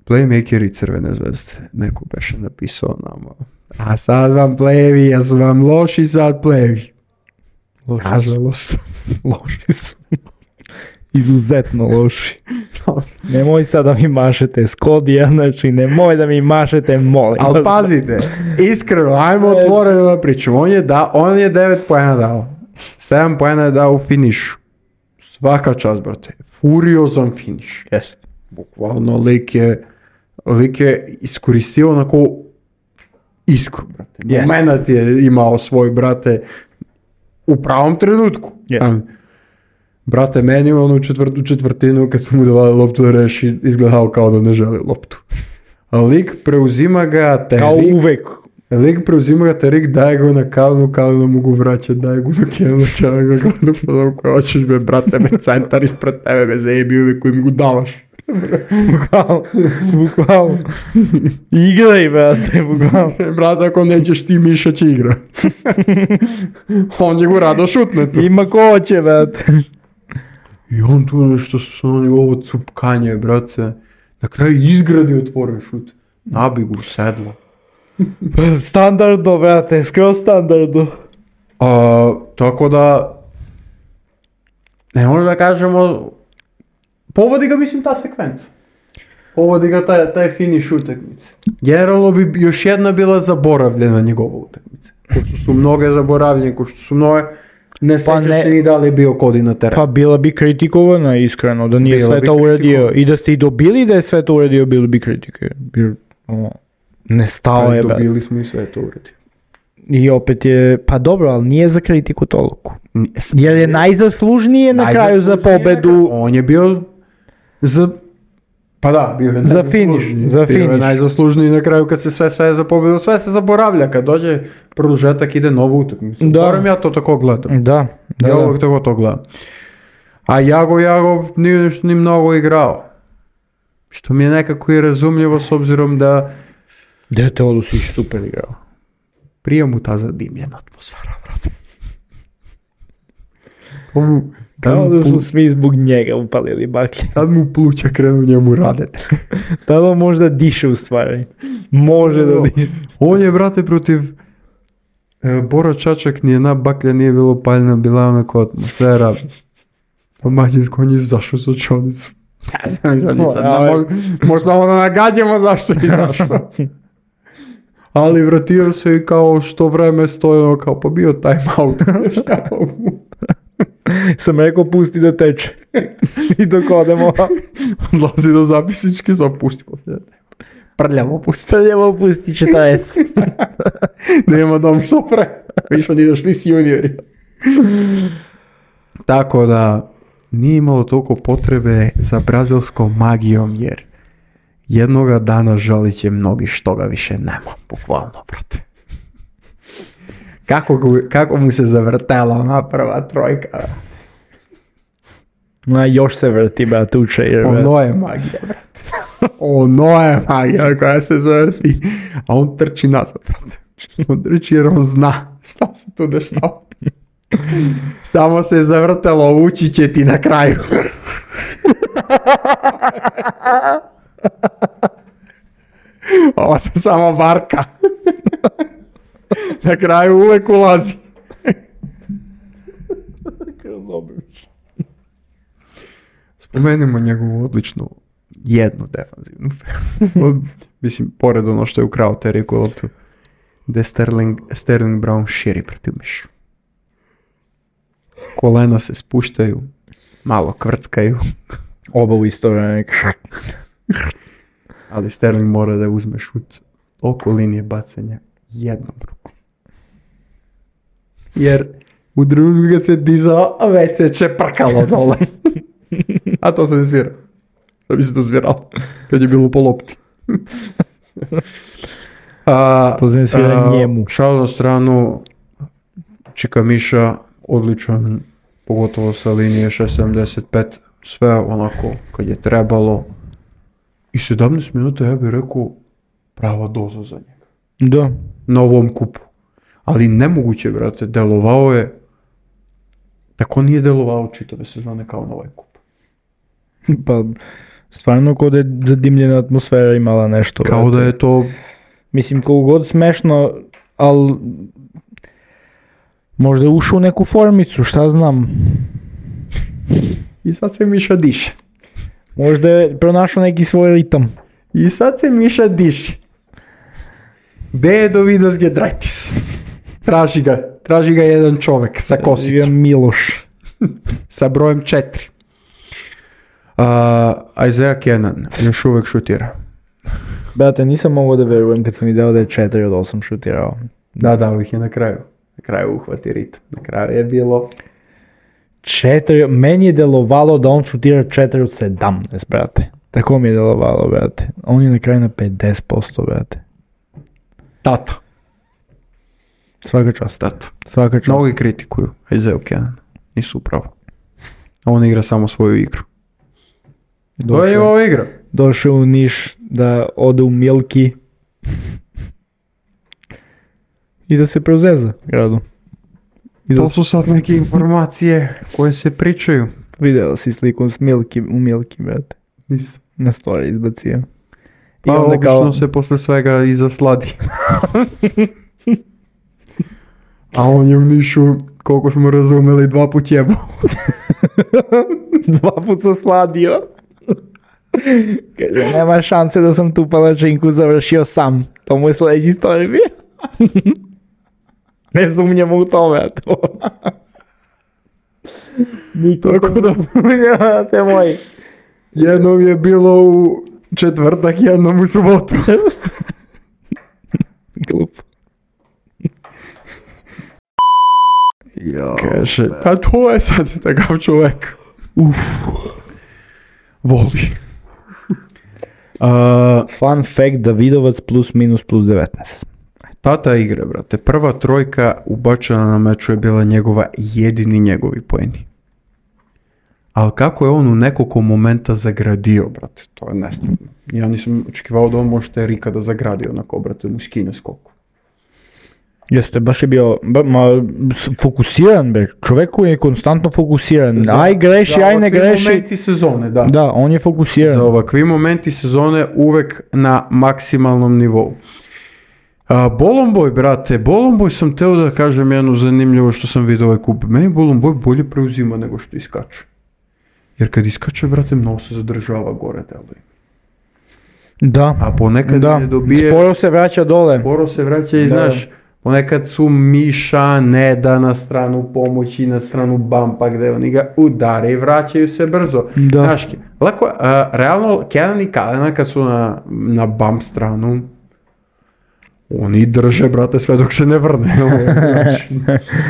Playmakeri Crvene Zvezde, neko beše napisao nama. A sad vam playevi, ja su vam loši sad playevi. Nažalost. Loši su. Izuzetno loši. Nemoj sad da mi mašete Skodija, znači nemoj da mi mašete, molim. Ali pazite, iskreno, ajmo otvoreno da pričamo. On je 9 poena dao. 7 poena je dao u finišu. Svaka čast, brate. Furiozan finiš. Yes. Bukvalno lik je iskoristio onako iskru, brate. Yes. Momenat je imao svoj, brate, u pravom trenutku. Yes. Brate, meni u četvrtinu kad su mu davali loptu da reši, izgledao kao da ne želi loptu. A lik preuzima ga, kao uvek. Lik preuzima ga, Terik daje ga na Kalinu mogu vraćati, daje ga na Kenu ga gledam kao hoćeš me, brate, me centar ispred tebe, me zajebi uvek koji mi go davaš. Bukvalno. Igraj, brate, bukvalno. Brate, ako nećeš ti, Miša će igra. On će go rado šutne tu. Ima ko hoće, brate. I on tu nešto sa njegovo cupkanje, brate. Na kraju izgradi otvoren šut. Nabi go sedlo. Standardno, brate, skroz standardno. Tako da, ne možemo da kažemo, povodi ga, mislim, ta sekvenca. Povodi ga taj finiš utakmice. Generalno bi još jedna bila zaboravljena njegova utakmica. Ko što su mnoge zaboravljene, ko što su mnoge, ne sjeća se ni da li je bio Kodi na terenu. Pa bila bi kritikovana, iskreno, da nije sve to uradio. I da ste i dobili da je sve to uradio, bili bi kritike. Ne stao je, brate. Dobili smo i sve to uradio. I opet je, pa dobro, ali nije za kritiku toliko. Jer je najzaslužnije na kraju za pobedu. On je bio za... Pa da, bio je za finiš. Bio je najzaslužniji na kraju kad se sve za pobedu, sve se zaboravlja. Kad dođe produžetak ide novu utakmicu. Moram ja to tako gledam. Da. Ja uvijek tako to gledam. A Jago nije ni mnogo igrao. Što mi je nekako i razumljivo s obzirom da... Dete Odusić super igrao. Prije mu ta zadimljena atmosfera, brate. Kao da su svi zbog njega upalili baklje. Tad mu pluća krenu njemu radete. Tada možda diše u stvari. Može da diše. On je, brate, protiv Boro Čačak ni jedna baklja nije bilo paljna, bila je onako atmosfera. Po mađinsko on je izašao s učonicu. Ja sam možda samo da nagađamo zašto je izašao. Ali vratio se i kao što vreme stoje, kao pa bio time out. Sam rekao pusti da teče. I dok odemo. Odlazi do zapisničke, sam pusti. Prljavo pusti. Prljavo pusti 40. Nema dom što pre. Više oni došli s juniori. Tako da nije imalo toliko potrebe za brazilskom magijom, jer jednoga dana žalit će mnogi što ga više nema, bukvalno, brate. Kako mu se zavrtela ona prva trojka? Još se vrti, brate, uče. Ono je magija, brate. Ono je magija koja se zavrti. A on trči nazad, brate. On trči jer on zna šta se tu dešava. Samo se je zavrtelo, ući će ti na kraju. Ovo se samo varka. Na kraju uvek ulazi. Spomenimo njegovu odličnu jednu defanzivnu. Mislim, pored ono što je ukrao Teriku loptu, gde Sterling Brown širi protiv mišu. Kolena se spuštaju, malo kvrckaju. Oba u isto vreme. Ali Sterling mora da uzme šut oko linije bacanja jednom rukom. Jer u trenutku kad se dizao, već se čeprkalo dole. A to se ne svira. Da bi se to sviralo. Kad je bilo po lopti. To se ne svira njemu. Šal na stranu, Čika Miša, odličan, pogotovo sa linije 6.75, sve onako kad je trebalo. I 17 minuta, ja bih rekao, prava doza za njega. Da. Na ovom kupu. Ali nemoguće, brate, delovao je, tako nije delovao čitave sezone kao na ovaj kup. Pa, stvarno kao da je zadimljena atmosfera imala nešto. Kao brate. da je to... Mislim, koliko god smešno, ali možda je ušao u neku formicu, šta znam. I sad se Miša diše. Možda je pronašao neki svoj ritam. I sad se Miša diše. Gde je Dovidas Gedraitis? Traži ga jedan čovek sa kosicom. Miloš. Sa brojem 4. Isaiah Kenan još uvek šutira. Brate, nisam mogao da verujem kad sam video da je 4 od 8 šutirao. Da, ovih je na kraju. Na kraju uhvati ritam. Na kraju je bilo... 4, meni je delovalo da on šutira 4 od 17, brate. Tako mi je delovalo, brate. On je na kraju na 50%, brate. Tata. Svaka čast. Tata. Svaka čast. Mnogi kritikuju Isaiah Kenan. Nisu upravo. On igra samo svoju igru. To je ova igra. Došao u Niš da ode u Milki i da se preuzeza gradu. To su sad neke informacije koje se pričaju. Video si sliku s u Milki, brate. Nisam. Na story izbacio. Pa obično se posle svega i zasladi. A on je u Nišu, koliko smo razumeli, 2 put jebao. 2 put sam sladio. Kaže, nema šanse da sam tu palačinku završio sam. To mu je sljedeći story bio. Ne sumnjamo u tome, to. Tako da te moji. Jednom je bilo u četvrtak, jednom u subotu. Glup. Kaže, pa to je sad takav čovjek. Voli. Fun fact, Davidovac plus minus plus 19. Tata igre, brate. Prva trojka ubačena na meču je bila jedini njegovi poeni. Ali kako je on u nekoliko momenta zagradio, brate, to je nestvarno. Ja nisam očekivao da on može Erika da zagradi onako, brate, mu skine skoku. Jeste, baš je bio fokusiran, be. Čovjek koji je konstantno fokusiran. Aj greši, aj ne greši. Za ovakvi momenti sezone, da. Da, on je fokusiran. Za ovakvi momenti sezone uvek na maksimalnom nivou. Bolonboj, brate, Bolonboj sam teo da kažem jednu zanimljivo što sam vidio ovaj kup. Meni Bolonboj bolje preuzima nego što iskače. Jer kad iskače, brate, mnogo se zadržava gore deluje. Da. A ponekad ne dobije... Sporo se vraća dole. Sporo se vraća i znaš, ponekad su Miša ne da na stranu pomoći, na stranu bumpa gde oni ga udare i vraćaju se brzo. Da. Znaš, lako, realno, Kenan i Kalena kad su na bump stranu, oni drže, brate, sve dok se ne vrne.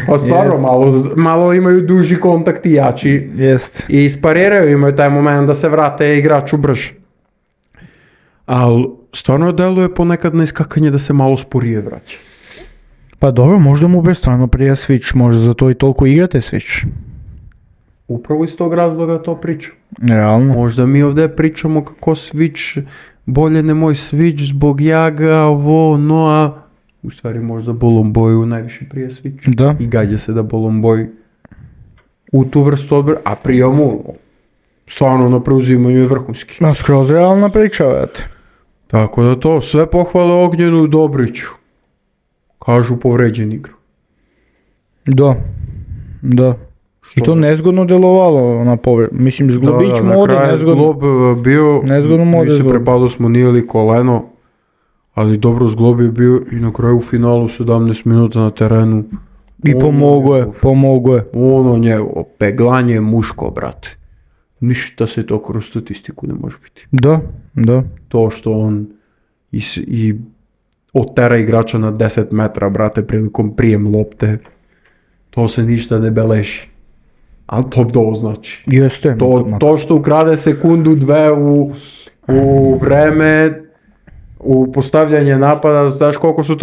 Pa stvarno, malo imaju duži kontakt i jači. I ispariraju, imaju taj moment da se vrate igraču brže. Ali stvarno deluje ponekad na iskakanje da se malo sporije vraća. Pa dobro, možda mu bre stvarno prija Switch, možda za to i toliko igrate Switch. Upravo iz tog razloga to pričam. Realno. Možda mi ovdje pričamo kako Switch, bolje ne moj Switch zbog jaga, a u stvari možda Bolonboju najviše prije Switch. Da. I gađa se da Bolonboj u tu vrstu odbora, a prije mu stvarno na preuzimanju je vrhunski. Skroz realna priča, vete. Tako da to, sve pohvale Ognjenu Dobriću. Kažu povređen igru. Da. I to nezgodno delovalo na mislim zglobić mode nezgodno. Zglob bio, mi se prepado smo nijeli koleno, ali dobro zglob je bio i na kraju u finalu 17 minuta na terenu. I pomogo je. Ono njegovo, peglanje muško, brate. Ništa se to kroz statistiku ne može biti. Da. To što on i otera igrača na 10 metra, brate, prilikom prijem lopte, to se ništa ne beleži. Ali to dobro znači. Jeste. To što ukrade sekundu, dve u vreme, u postavljanje napada, znaš koliko su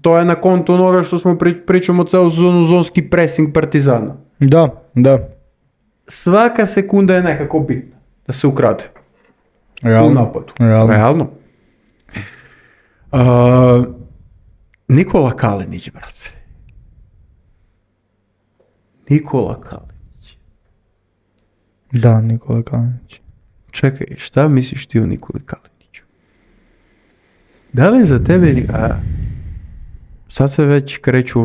to je na kontu onoga što smo pričamo celu sezonu, zonski pressing Partizana. Da. Svaka sekunda je nekako bitna da se ukrade. Realno. U napadu. Realno. Nikola Kalinić, brace. Nikola Kalinić. Da, Nikola Kalinić. Čekaj, šta misliš ti o Nikoli Kaliniću? Da li za tebe... sad se već kreću,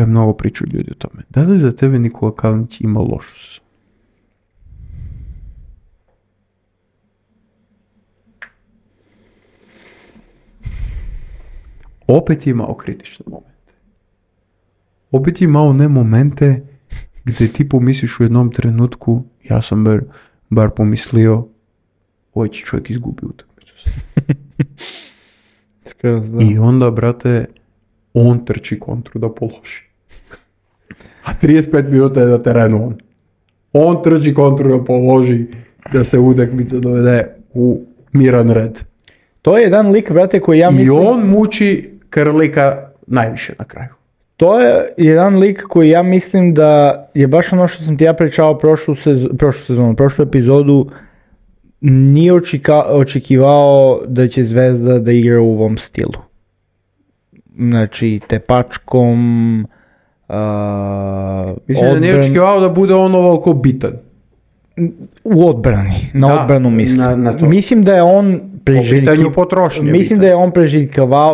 mnogo priču ljudi o tome. Da li za tebe Nikola Kalinić ima lošu sezonu? Opet je imao kritične momente. Opet je imao ne momente gdje ti pomisliš u jednom trenutku, ja sam bar pomislio, ovaj će čovjek izgubi utakmicu. I onda, brate, on trči kontru da položi. A 35 minuta je na terenu on. On trči kontru da položi, da se utakmica dovede u miran red. To je jedan lik, brate, koji ja mislim... I on muči Krlika najviše na kraju. To je jedan lik koji ja mislim da je baš ono što sam ti ja pričao prošlu epizodu, nije očekivao da će Zvezda da igra u ovom stilu. Znači, tepačkom, mislim da nije očekivao da bude on ovoliko bitan. U odbrani, odbranu mislim. Mislim da je on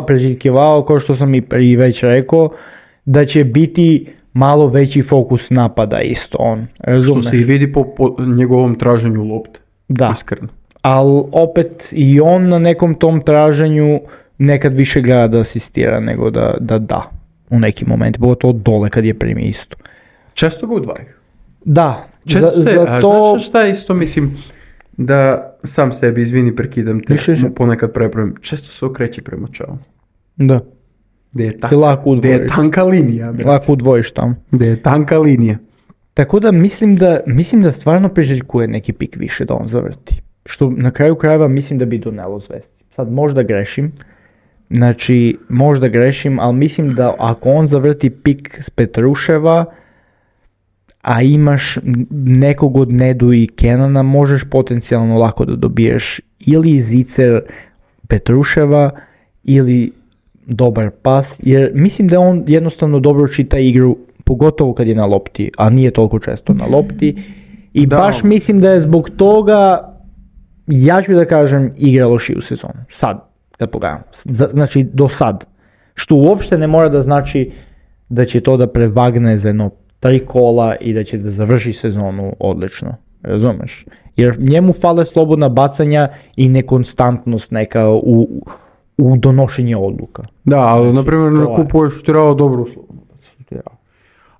preželjkivao, kao što sam i već rekao, da će biti malo veći fokus napada isto on. Razumeš? Što se i vidi po njegovom traženju lopte. Da. Iskreno. Ali opet i on na nekom tom traženju nekad više gleda da asistira nego da u neki moment. Bilo to dole kad je primi isto. Često ga udvaju. Da. Znaš šta isto mislim, da sam sebi, izvini, prekidam te, ponekad prepravim, često se okreće prema čavu. Da. Gdje je tanka linija. Lako udvojiš tamo. Gdje je tanka linija. Tako da mislim da stvarno priželjkuje neki pik više da on zavrti. Što na kraju krajeva mislim da bi donelo Zvezdi. Sad možda grešim, ali mislim da ako on zavrti pik s Petruševa, a imaš nekog od Nedu i Kenana, možeš potencijalno lako da dobiješ ili Zicer Petruševa ili dobar pas, jer mislim da on jednostavno dobro čita igru, pogotovo kad je na lopti, a nije toliko često na lopti, i baš mislim da je zbog toga, ja ću da kažem, igra lošiju sezonu. Sad, da pogledam. Znači do sad. Što uopšte ne mora da znači da će to da prevagne za jedno 3 kola i da će da završi sezonu odlično. Razumeš? Jer njemu fale slobodna bacanja i nekonstantnost neka u donošenje odluka. Da, ali na primjer ne kupuješ tirao dobru slobodnu bacanja.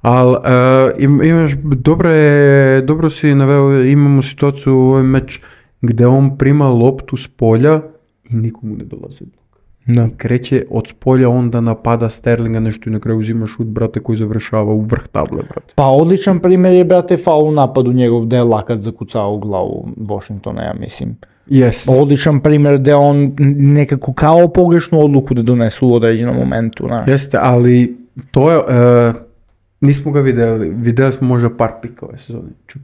Ali imaš, dobro si naveo, imamo situaciju u ovom meč gdje on prima loptu s polja i nikomu ne dolazi blok. Da. Kreće od spolja, onda napada Sterlinga nešto i na kraju uzimaš šut, brate, koji završava u vrh table, brate. Pa odličan primjer je, brate, faul u napadu njegov gdje je lakat zakucao u glavu Washingtona, ja mislim. Yes. Odličan primjer gdje on nekako kao pogrešnu odluku da donesu u određenom momentu. Znaš. Jeste, ali to je, nismo ga vidjeli smo možda par pika ove sezone. Čak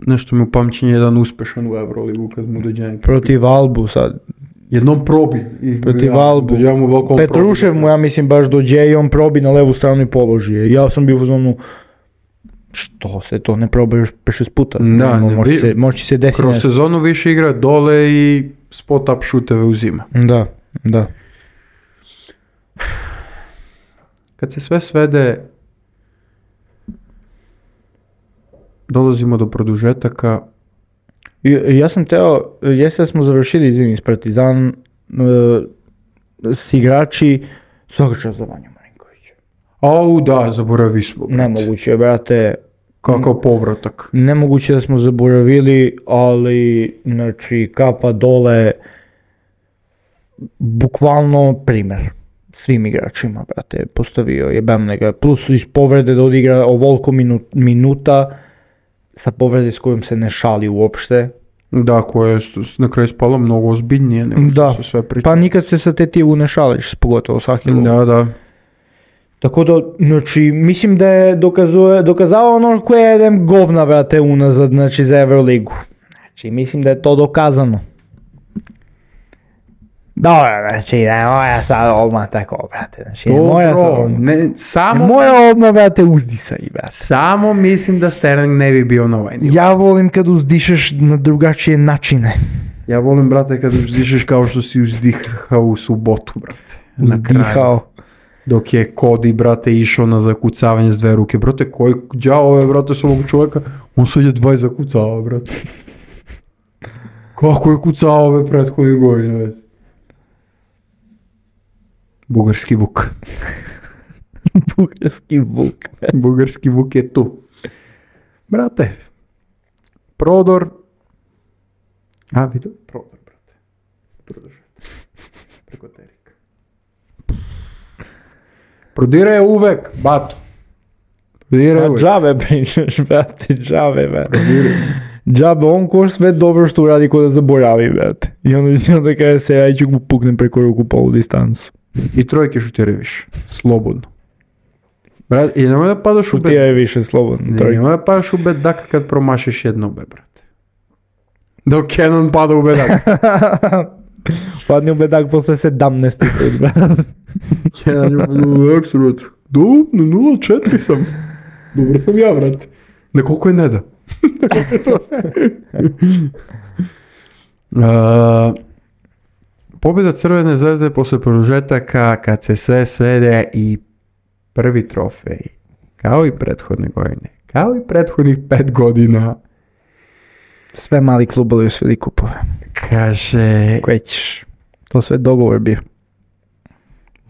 nešto mi u pamćenje jedan uspešan u Euroligu kad mu dođe neki protiv Albu sad. Jednom probi. Protiv Albu. Petrušev mu, ja mislim, baš dođe i on probi na levu stranu i položi je. Ja sam bio u zonu, što se to ne proba još 5-6 puta? Da, može se desiti. Kroz sezonu više igra dole i spot up šuteve uzima. Da. Kad se sve svede, dolazimo do produžetaka. Ja sam teo, jeste da smo završili, izvini, s Partizan, s igrači, svaka čast za Vanju Marinkovića. Au da, zaboravi smo. Nemoguće, brate. Kakav povratak. Nemoguće da smo zaboravili, ali, znači, kapa dole, bukvalno primjer svim igračima, brate, postavio jebem nega, plus iz povrede da odigra ovoliko minuta, sa povrede s kojom se ne šali uopšte. Da, koja je na kraju spala mnogo ozbiljnije nego što se sve priča. Pa nikad se sa tetivu ne šališ, pogotovo s Ahilom. Da. Tako da, znači, mislim da je dokazao ono koje je jedan govna, brate, unazad, znači, za Euroligu. Znači, mislim da je to dokazano. Dobro, znači, ne moja sad odmah tako, brate, znači, ne moja odmah, brate, uzdisaj, brate. Samo mislim da Sterling ne bi bio na ovaj nivo. Ja volim kad uzdišeš na drugačije načine. Ja volim, brate, kad uzdišeš kao što si uzdihao u subotu, brate. Uzdihao. Dok je Cody, brate, išao na zakucavanje s 2 ruke. Brate, koji đavo je, brate, s ovog čovjeka? On sad je 2 zakucava, brate. Kako je kucao ove prethodne godine, brate? Bugarski Vuk. Bugarski Vuk je tu. Brate, prodor. Vidio? Prodor, brate. Produžete. Preko Terika. Prodiraj uvek, bato. Prodiraj uvek. Džabe pričaš, brate, džabe. Džabe, on ko sve dobro što uradi ko da zaboravi, brate. I onda kada se ja ću mu puknem preko ruku polu distancu. I trojke šutire više, slobodno. Brat, i nemoj da padaš u bed. Šutire više, slobodno. Nemoj da padaš u bedak kad promašiš jedno be, brate. Dok Kenan pada u bedak. Padni u bedak posle 17. put, brate. Kenan je u bedak, brate. Do, na 0-4 sam. Dobro sam ja, brate. Na koliko je ne da. Pobjeda Crvene zvezde posle produžetaka, kad se sve svede i prvi trofej, kao i prethodne godine, kao i prethodnih 5 godina. Sve mali klubovi osvili kupove. Kaže... Koje ćeš? To sve dogovor bio.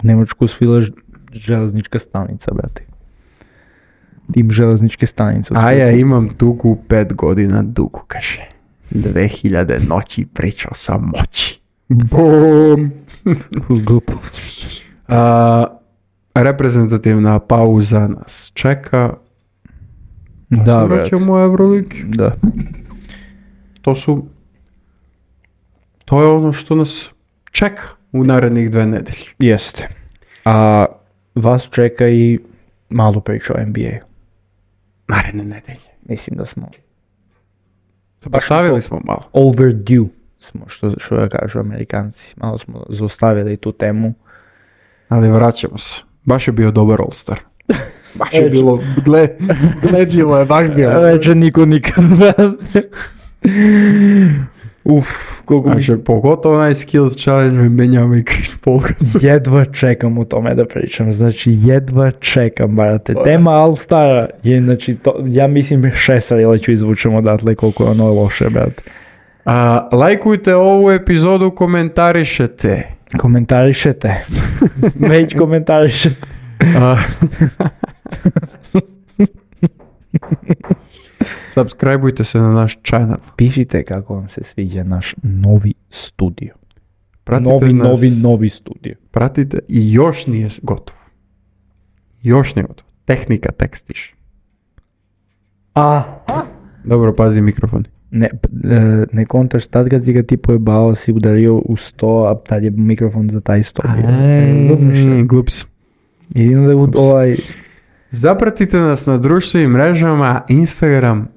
U Nemačku osvila železnička stanica, brate. Tim železničke stanice. A ja imam dugu 5 godina, dugu, kaže. 2000 noći pričao sam moći. Bum! Glupo. Reprezentativna pauza nas čeka. Da, vraćamo u Euroleague. Da. To je ono što nas čeka u narednih 2 nedelje. Jeste. A vas čeka i malo priča o NBA-u. Naredne nedelje. Mislim da smo... Postavili smo malo. Overdue smo, što da kažu Amerikanci. Malo smo zaustavili tu temu. Ali vraćamo se. Baš je bio dobar All-Star. Baš je bilo, gledljivo je, baš bilo. Reče niko nikad. Колко ми Значи, pogotovo onaj skills challenge menjava i Chris Paul. jedva čekam o tome da pričam, znači jedva čekam, brate. Tema All-Stara je, znači, ja mislim 6 rila ću izvučem odatle koliko je ono loše, brate. Lajkujte ovu epizodu, komentarišete. Komentarišete. Već komentarišete. Subscribeujte se na naš channel. Pišite kako vam se sviđa naš novi studio. Pratite Novi studio. Pratite i još nije gotov. Još nije gotov. Tehnika tekstiš. Dobro, pazi mikrofon. Ne kontaš, tad kad si ga ti pojebao, si udario u sto, a tad je mikrofon za taj sto bio. Glups. Jedino da Zapratite nas na društvenim mrežama, Instagram,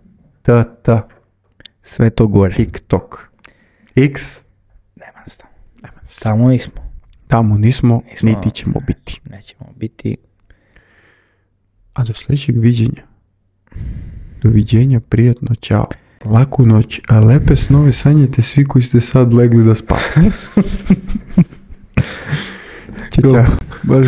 sve to gore. TikTok, X, Nema sta. Tamo nismo. Tamo nismo, niti ćemo biti. Nećemo biti. A do sljedećeg viđenja. Doviđenja, prijatno, čao. Laku noć, a lepe snove sanjate svi koji ste sad legli da spavate. Ćao. Baš